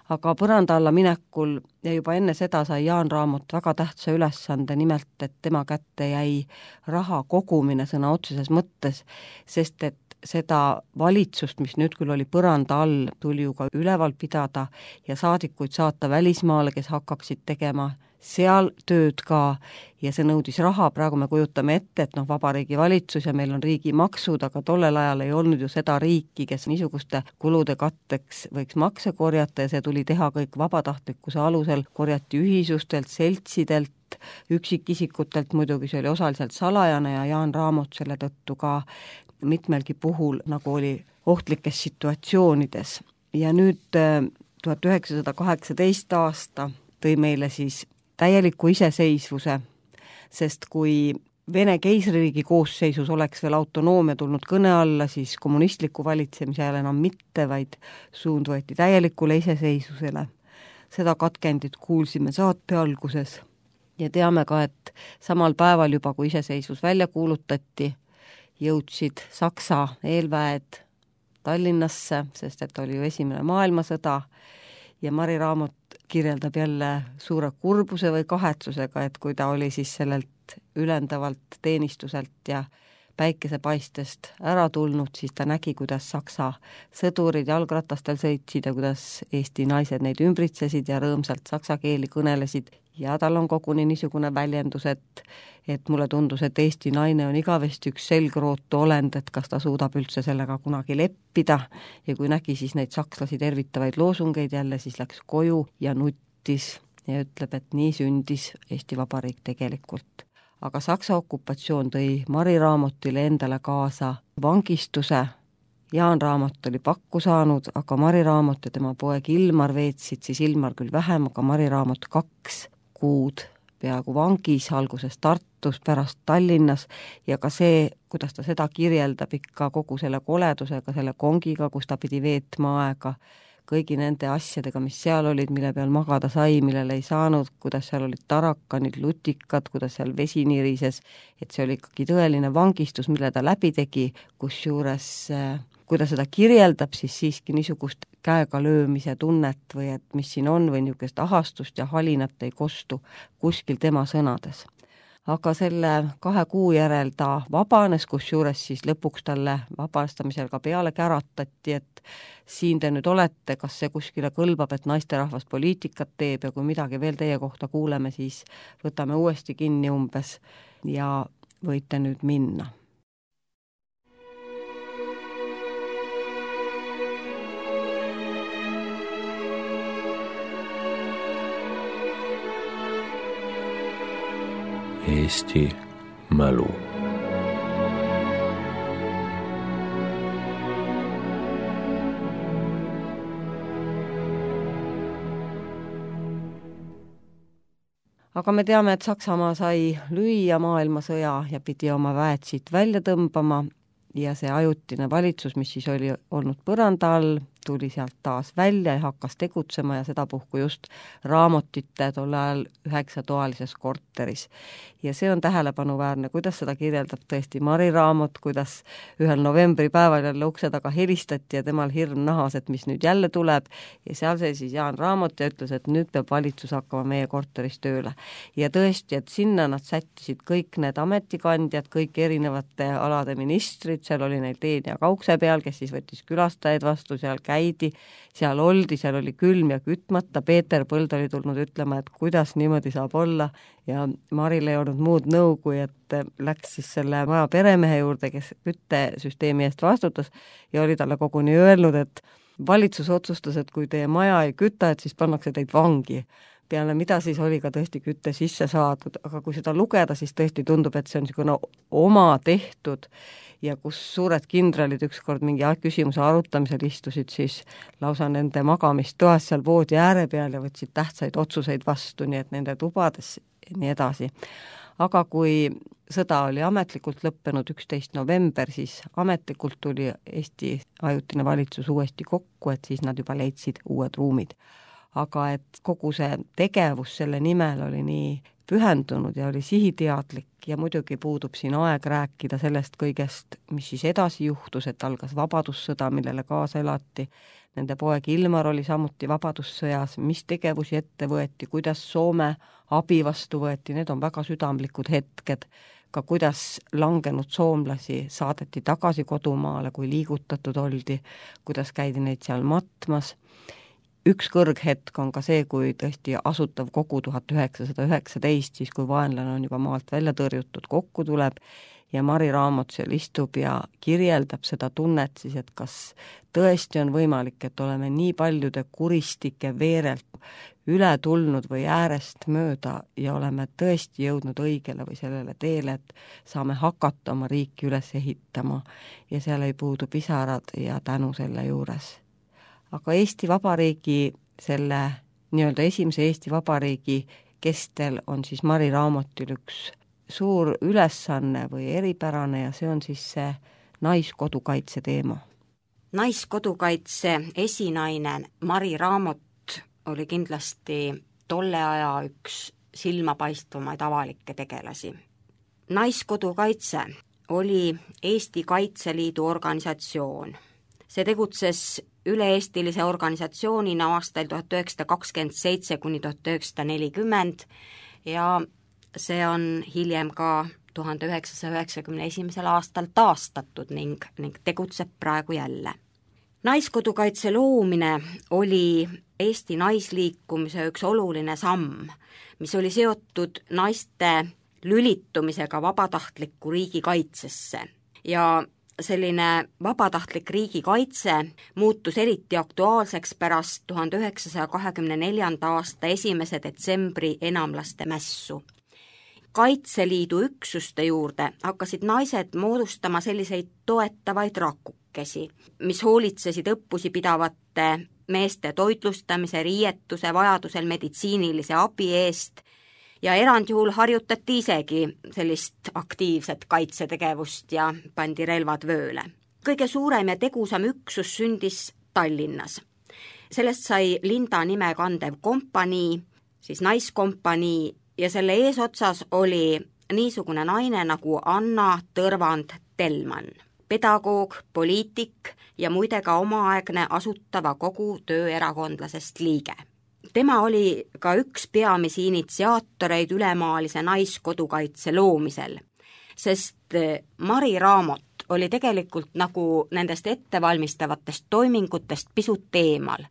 Aga põranda alla minekul ja juba enne seda sai Jaan Raamot väga tähtsa ülesande, nimelt, et tema kätte jäi raha kogumine sõna otseses mõttes, sest et seda valitsust, mis nüüd küll oli põranda all, tuli ju ka üleval pidada ja saadikuid saata välismaale, kes hakkaksid tegema seal tööd ka ja see nõudis raha, praegu me kujutame ette, et noh, vabariigi valitsus ja meil on riigi maksud, aga tollel ajal ei olnud ju seda riiki, kes niisuguste kulude katteks võiks makse korjata ja see tuli teha kõik vabatahtlikkuse alusel, korjati ühisustelt, seltsidelt, üksikisikutelt, muidugi see oli osaliselt salajane ja Jaan Raamot selle tõttu ka mitmelgi puhul nagu oli ohtlikes situatsioonides. Ja nüüd tuhat üheksasada kaheksateist aasta tõi meile siis täieliku iseseisvuse, sest kui Vene keisririigi koosseisus oleks veel autonoomia tulnud kõne alla, siis kommunistliku valitsemise ajal enam mitte, vaid suund võeti täielikule iseseisvusele. Seda katkendit kuulsime saate alguses ja teame ka, et samal päeval juba, kui iseseisvus välja kuulutati, jõudsid Saksa eelväed Tallinnasse, sest et oli ju esimene maailmasõda ja Mari Raamot kirjeldab jälle suure kurbuse või kahetsusega, et kui ta oli siis sellelt ülendavalt teenistuselt ja päikesepaistest ära tulnud, siis ta nägi, kuidas Saksa sõdurid jalgratastel sõitsid ja kuidas Eesti naised neid ümbritsesid ja rõõmsalt saksa keeli kõnelesid ja tal on koguni niisugune väljendus, et, et mulle tundus, et Eesti naine on igavesti üks selgrootu olend, et kas ta suudab üldse sellega kunagi leppida ja kui nägi siis neid sakslasi tervitavaid loosungeid jälle, siis läks koju ja nuttis ja ütleb, et nii sündis Eesti Vabariik tegelikult. Aga Saksa okupatsioon tõi Mari Raamotile endale kaasa vangistuse. Jaan Raamot oli pakku saanud, aga Mari Raamot ja tema poeg Ilmar veetsid, siis Ilmar küll vähem, aga Mari Raamot kaks kuud peaaegu vangis, alguses Tartus, pärast Tallinnas ja ka see, kuidas ta seda kirjeldab ikka kogu selle koledusega, selle kongiga, kus ta pidi veetma aega, kõigi nende asjadega, mis seal olid, mille peal magada sai, millele ei saanud, kuidas seal olid tarakanid, lutikad, kuidas seal vesi nirises, et see oli ikkagi tõeline vangistus, mille ta läbi tegi, kus juures, kui ta seda kirjeldab, siis siiski niisugust käega löömise tunnet või et mis siin on või niisugust ahastust ja halinat ei kostu kuskil tema sõnades. Aga selle kahe kuu järel ta vabanes, kus juures siis lõpuks talle vabastamisel ka peale käratati, et siin te nüüd olete, kas see kuskile kõlbab, et naisterahvas poliitikat teeb ja kui midagi veel teie kohta kuuleme, siis võtame uuesti kinni umbes ja võite nüüd minna. Eesti mälu. Aga me teame, et Saksamaa sai lüüa maailmasõja ja pidi oma väed siit välja tõmbama ja see ajutine valitsus, mis siis oli olnud põranda all, tuli sealt taas välja ja hakkas tegutsema ja sedapuhku just Raamotite tol ajal üheksatoalises korteris. Ja see on tähelepanuväärne, kuidas seda kirjeldab tõesti Mari Raamot, kuidas ühel novembripäeval jälle ukse taga helistati ja temal hirm nahas, et mis nüüd jälle tuleb ja seal see siis Jaan Raamot ja ütles, et nüüd peab valitsus hakkama meie korteris tööle. Ja tõesti, et sinna nad sättisid kõik need ametikandjad, kõik erinevate alade ministrid, seal oli neil teen ja kaukse peal, kes siis võttis külastajaid vastu, seal käidi, seal oldi, seal oli külm ja kütmata, Peeter Põld oli tulnud ütlema, et kuidas niimoodi saab olla ja Maril ei olnud muud nõu, kui et läks siis selle maja peremehe juurde, kes küttesüsteemi eest vastutas ja oli talle koguni öelnud, et valitsus otsustas, et kui teie maja ei küta, et siis pannakse teid vangi. Peale mida siis oli ka tõesti kütte sisse saadud, aga kui seda lugeda, siis tõesti tundub, et see on niisugune oma tehtud ja kus suured kindralid ükskord mingi küsimuse arutamisel istusid siis lausa nende magamistoas seal voodi ääre peal ja võtsid tähtsaid otsuseid vastu, nii et nende tubades ja nii edasi. Aga kui sõda oli ametlikult lõppenud üksteist november, siis ametlikult tuli Eesti ajutine valitsus uuesti kokku, et siis nad juba leidsid uued ruumid. Aga et kogu see tegevus selle nimel oli nii pühendunud ja oli sihiteadlik ja muidugi puudub siin aeg rääkida sellest kõigest, mis siis edasi juhtus, et algas vabadussõda, millele kaasa elati. Nende poeg Ilmar oli samuti vabadussõjas, mis tegevusi ette võeti, kuidas Soome abi vastu võeti, need on väga südamlikud hetked, ka kuidas langenud soomlasi saadeti tagasi kodumaale, kui liigutatud oldi, kuidas käidi neid seal matmas. Üks kõrghetk on ka see, kui tõesti asutav kogu tuhat üheksasada üheksateist, siis kui vaenlane on juba maalt välja tõrjutud, kokku tuleb ja Mari Raamot seal istub ja kirjeldab seda tunnet siis, et kas tõesti on võimalik, et oleme nii paljude kuristike veerelt üle tulnud või äärest mööda ja oleme tõesti jõudnud õigele või sellele teele, et saame hakata oma riiki üles ehitama ja seal ei puudu pisarad ja tänu selle juures. Aga Eesti Vabariigi, selle nii-öelda esimese Eesti Vabariigi kestel on siis Mari Raamotil üks suur ülesanne või eripärane ja see on siis see naiskodukaitse teema. Naiskodukaitse esinaine Mari Raamot oli kindlasti tolle aja üks silmapaistvamaid avalikke tegelasi. Naiskodukaitse oli Eesti Kaitseliidu organisatsioon. See tegutses üle-eestilise organisatsioonina aastail tuhat üheksasada kakskümmend seitse kuni tuhat üheksasada nelikümmend ja see on hiljem ka tuhande üheksasaja üheksakümne esimesel aastal taastatud ning, ning tegutseb praegu jälle. Naiskodukaitse loomine oli Eesti naisliikumise üks oluline samm, mis oli seotud naiste lülitumisega vabatahtliku riigikaitsesse ja selline vabatahtlik riigikaitse muutus eriti aktuaalseks pärast tuhande üheksasaja kahekümne neljanda aasta esimese detsembri enamlaste mässu. Kaitseliidu üksuste juurde hakkasid naised moodustama selliseid toetavaid rakukesi, mis hoolitsesid õppusi pidavate meeste toitlustamise, riietuse, vajadusel meditsiinilise abi eest ja erandjuhul harjutati isegi sellist aktiivset kaitsetegevust ja pandi relvad vööle. Kõige suurem ja tegusam üksus sündis Tallinnas. Sellest sai Linda nime kandev kompanii, siis naiskompanii ja selle eesotsas oli niisugune naine nagu Anna Tõrvand-Telman, pedagoog, poliitik ja muide ka omaaegne asutava kogu tööerakondlasest liige. Tema oli ka üks peamisi initsiaatoreid ülemaalise naiskodukaitse loomisel, sest Mari Raamot oli tegelikult nagu nendest ettevalmistavatest toimingutest pisut eemal.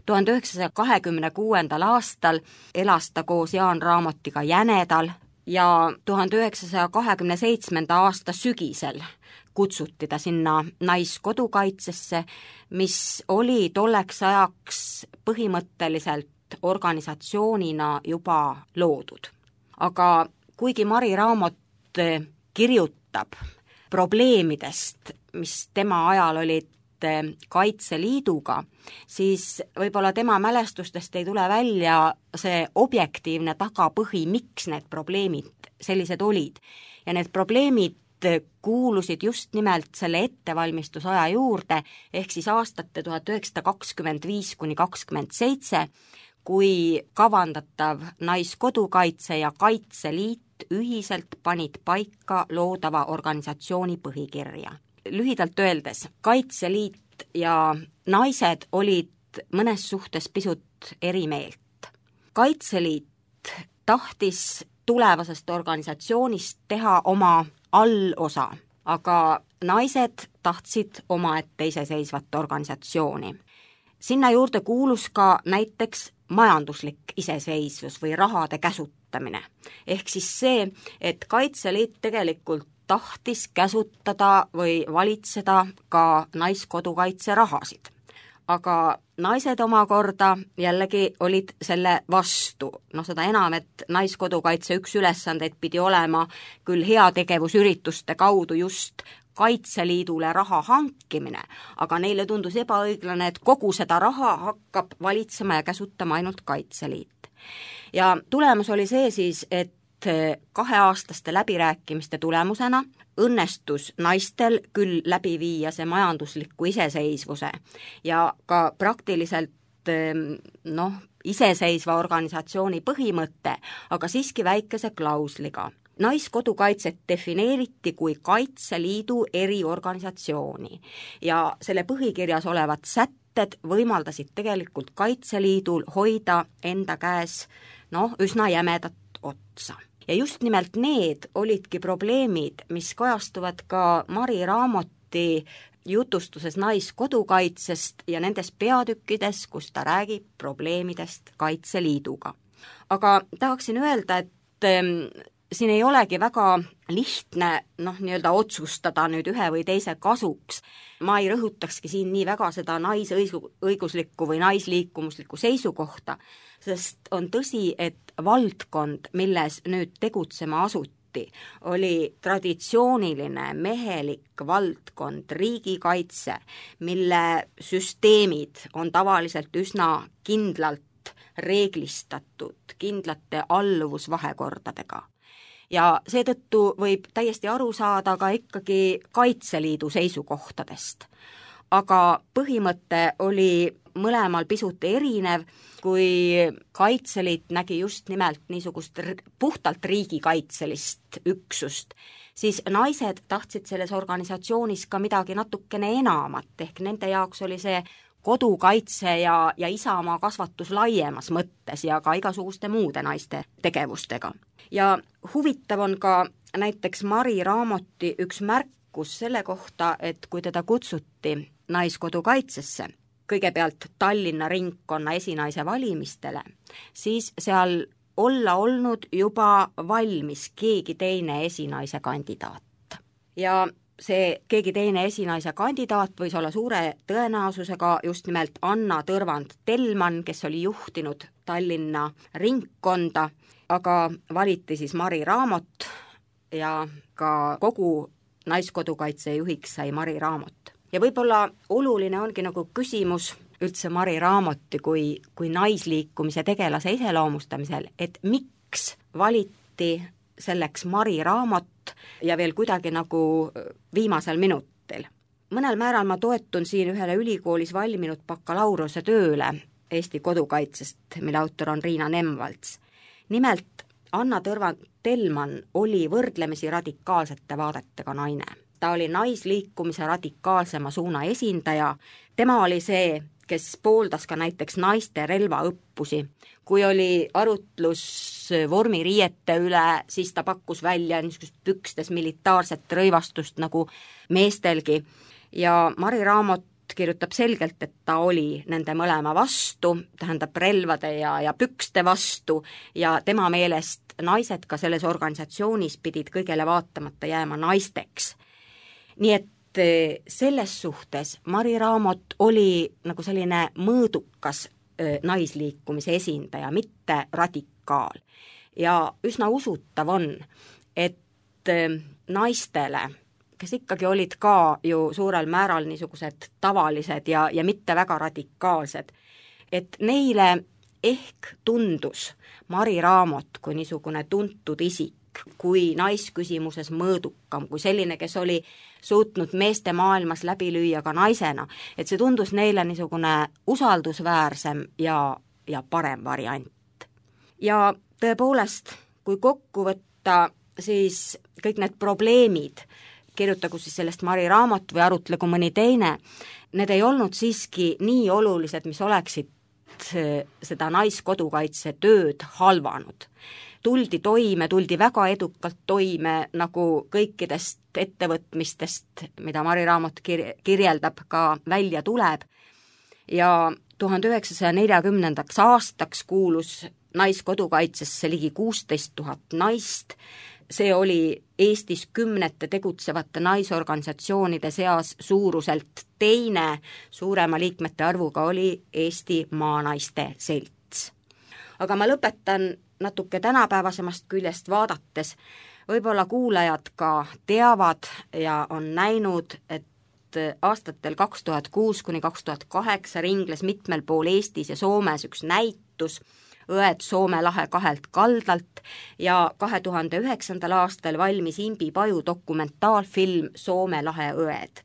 tuhande üheksasaja kahekümne kuuendal aastal elas ta koos Jaan Raamotiga Jänedal ja tuhande üheksasaja kahekümne seitsmenda aasta sügisel kutsuti ta sinna naiskodukaitsesse, mis oli tolleks ajaks põhimõtteliselt organisatsioonina juba loodud. Aga kuigi Mari Raamot kirjutab probleemidest, mis tema ajal olid Kaitseliiduga, siis võib-olla tema mälestustest ei tule välja see objektiivne tagapõhi, miks need probleemid sellised olid. Ja need probleemid kuulusid just nimelt selle ettevalmistusaja juurde, ehk siis aastate tuhat üheksasada kakskümmend viis kuni kakskümmend seitse, kui kavandatav Naiskodukaitse ja Kaitseliit ühiselt panid paika loodava organisatsiooni põhikirja. Lühidalt öeldes, Kaitseliit ja naised olid mõnes suhtes pisut eri meelt. Kaitseliit tahtis tulevasest organisatsioonist teha oma allosa, aga naised tahtsid omaette iseseisvat organisatsiooni. Sinna juurde kuulus ka näiteks majanduslik iseseisvus või rahade käsutamine. Ehk siis see, et Kaitseliit tegelikult tahtis käsutada või valitseda ka Naiskodukaitse rahasid. Aga naised omakorda jällegi olid selle vastu. No seda enam, et Naiskodukaitse üks ülesandeid pidi olema küll heategevusürituste kaudu just Kaitseliidule raha hankimine, aga neile tundus ebaõiglane, et kogu seda raha hakkab valitsema ja käsutama ainult Kaitseliit. Ja tulemus oli see siis, et kaheaastaste läbirääkimiste tulemusena õnnestus naistel küll läbi viia see majandusliku iseseisvuse ja ka praktiliselt noh, iseseisva organisatsiooni põhimõte, aga siiski väikese klausliga. Naiskodukaitset defineeriti kui Kaitseliidu eriorganisatsiooni ja selle põhikirjas olevad sätted võimaldasid tegelikult Kaitseliidul hoida enda käes noh, üsna jämedat otsa. Ja just nimelt need olidki probleemid, mis kajastuvad ka Mari Raamoti jutustuses Naiskodukaitsest ja nendes peatükkides, kus ta räägib probleemidest Kaitseliiduga. Aga tahaksin öelda, et siin ei olegi väga lihtne noh, nii-öelda otsustada nüüd ühe või teise kasuks. Ma ei rõhutakski siin nii väga seda naisõiguslikku või naisliikumuslikku seisukohta, sest on tõsi, et valdkond, milles nüüd tegutsema asuti, oli traditsiooniline mehelik valdkond, riigikaitse, mille süsteemid on tavaliselt üsna kindlalt reeglistatud, kindlate alluvusvahekordadega. Ja seetõttu võib täiesti aru saada ka ikkagi Kaitseliidu seisukohtadest. Aga põhimõte oli mõlemal pisut erinev, kui Kaitseliit nägi just nimelt niisugust puhtalt riigikaitselist üksust, siis naised tahtsid selles organisatsioonis ka midagi natukene enamat, ehk nende jaoks oli see kodukaitse ja, ja isamaa kasvatus laiemas mõttes ja ka igasuguste muude naiste tegevustega. Ja huvitav on ka näiteks Mari Raamoti üks märkus selle kohta, et kui teda kutsuti Naiskodukaitsesse, kõigepealt Tallinna ringkonna esinaise valimistele, siis seal olla olnud juba valmis keegi teine esinaise kandidaat. Ja see keegi teine esinaise kandidaat võis olla suure tõenäosusega just nimelt Anna Tõrvand-Tellmann, kes oli juhtinud Tallinna ringkonda, aga valiti siis Mari Raamot ja ka kogu Naiskodukaitse juhiks sai Mari Raamot. Ja võib-olla oluline ongi nagu küsimus üldse Mari Raamoti kui, kui naisliikumise tegelase iseloomustamisel, et miks valiti selleks Mari Raamot ja veel kuidagi nagu viimasel minutil. Mõnel määral ma toetun siin ühele ülikoolis valminud bakalaureuse tööle Eesti kodukaitsest, mille autor on Riina Nemvalts. Nimelt Anna Tõrvand-Tellmann oli võrdlemisi radikaalsete vaadetega naine. Ta oli naisliikumise radikaalsema suuna esindaja, tema oli see, kes pooldas ka näiteks naiste relvaõppusi. Kui oli arutlus vormiriiete üle, siis ta pakkus välja niisugust pükstes militaarset rõivastust nagu meestelgi. Ja Mari Raamot kirjutab selgelt, et ta oli nende mõlema vastu, tähendab relvade ja, ja pükste vastu ja tema meelest naised ka selles organisatsioonis pidid kõigele vaatamata jääma naisteks. Nii et selles suhtes Mari Raamot oli nagu selline mõõdukas naisliikumise esindaja, mitte radikaal. Ja üsna usutav on, et naistele, kes ikkagi olid ka ju suurel määral niisugused tavalised ja, ja mitte väga radikaalsed, et neile ehk tundus Mari Raamot kui niisugune tuntud isik, kui naisküsimuses mõõdukam, kui selline, kes oli suutnud meeste maailmas läbi lüüa ka naisena, et see tundus neile niisugune usaldusväärsem ja, ja parem variant. Ja tõepoolest, kui kokku võtta, siis kõik need probleemid, kirjutagu siis sellest Mari raamat või arutlegu mõni teine, need ei olnud siiski nii olulised, mis oleksid seda naiskodukaitse tööd halvanud. Tuldi toime, tuldi väga edukalt toime, nagu kõikidest ettevõtmistest, mida Mari raamat kir- kirjeldab, ka välja tuleb. Ja tuhande üheksasaja neljakümnendaks aastaks kuulus naiskodukaitsesse ligi kuusteist tuhat naist. See oli Eestis kümnete tegutsevate naisorganisatsioonide seas suuruselt teine, suurema liikmete arvuga oli Eesti Maanaiste Selts. Aga ma lõpetan natuke tänapäevasemast küljest vaadates. Võib-olla kuulajad ka teavad ja on näinud, et aastatel kaks tuhat kuus kuni kaks tuhat kaheksa ringles mitmel pool Eestis ja Soomes üks näitus Õed Soome lahe kahelt kaldalt ja kahe tuhande üheksandal aastal valmis Imbi Paju dokumentaalfilm Soome lahe õed.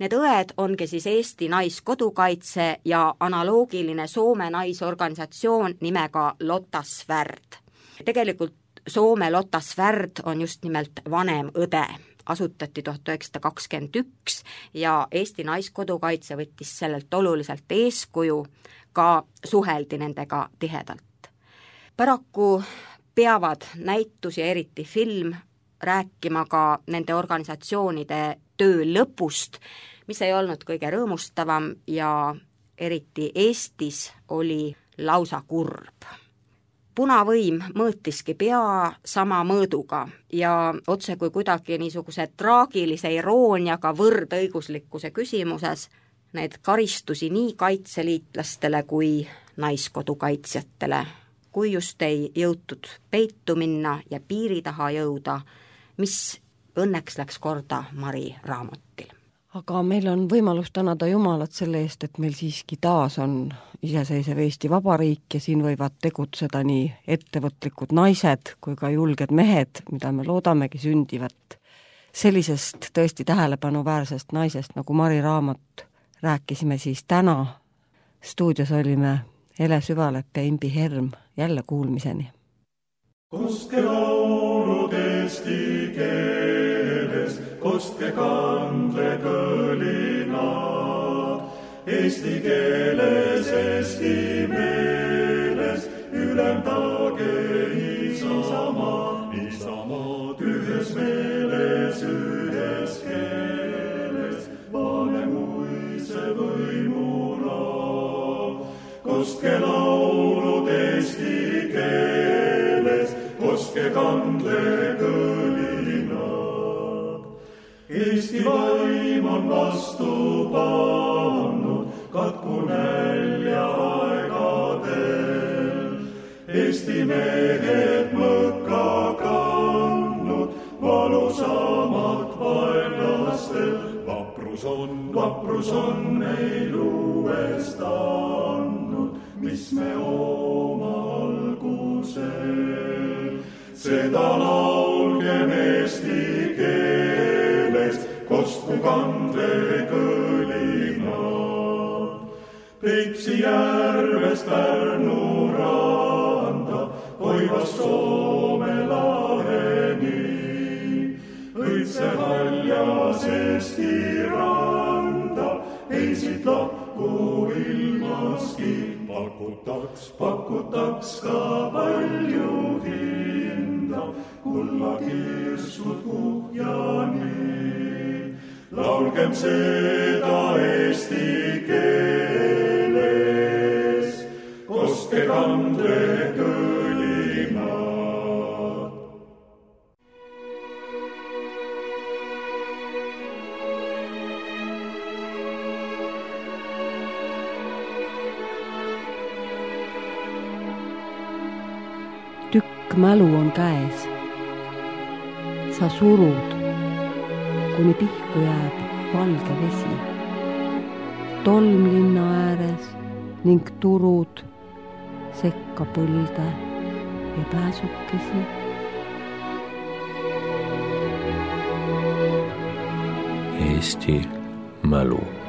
Need õed ongi siis Eesti naiskodukaitse ja analoogiline Soome naisorganisatsioon nimega Lotta Svärd. Tegelikult Soome Lotta Svärd on just nimelt vanem õde. Asutati tuhat üheksasada kakskümmend üks ja Eesti naiskodukaitse võttis sellelt oluliselt eeskuju, ka suheldi nendega tihedalt. Paraku peavad näitus ja eriti film rääkima ka nende organisatsioonide töö lõpust, mis ei olnud kõige rõõmustavam ja eriti Eestis oli lausa kurb. Punavõim mõõtiski pea sama mõõduga ja otse kui kuidagi niisuguse traagilise irooniaga võrdõiguslikkuse küsimuses need karistusi nii kaitseliitlastele kui naiskodukaitsjatele, kui just ei jõutud peitu minna ja piiri taha jõuda, mis õnneks läks korda Mari raamatil. Aga meil on võimalus tänada Jumalat selle eest, et meil siiski taas on iseseisev Eesti Vabariik ja siin võivad tegutseda nii ettevõtlikud naised kui ka julged mehed, mida me loodamegi sündivat. Sellisest tõesti tähelepanuväärsest naisest nagu Mari raamat rääkisime siis täna. Stuudios olime Ele Süvalep ja Imbi Herm. Jälle kuulmiseni. Kostke laulud eesti keeles, kostke kandle kõlinad. Eesti keeles, eesti meeles, ülemdage Isamaa. Isamaa ühes meeles, ühes keeles, vanemuise võimula. Kostke laulud eesti keeles, kostke kandle kõlinad. Eesti vaim on vastu pannud, katku nälja aegadel. Eesti mehed mõkka kandnud, valusamat vaenlastel. Vaprus on, vaprus on meil uuest andnud, mis me oma algusel. Seda laulgem eesti keeles, kostku kandle kõlinad. Peipsi järvest Pärnu randa, Koivast Soome laheni. Õitse haljas Eesti randa, ei siit lahku ilmaski. Pakutaks, pakutaks ka palju hinda, kulla kirstud kuhjani. Laulgem seda eesti keeles, kostke kandle kõlinad. Tükk mälu on käes. Sa surud, kuni pihku jääb valge vesi. Tolm linna ääres ning turud sekka põlde ja pääsukesi. Eesti mälu.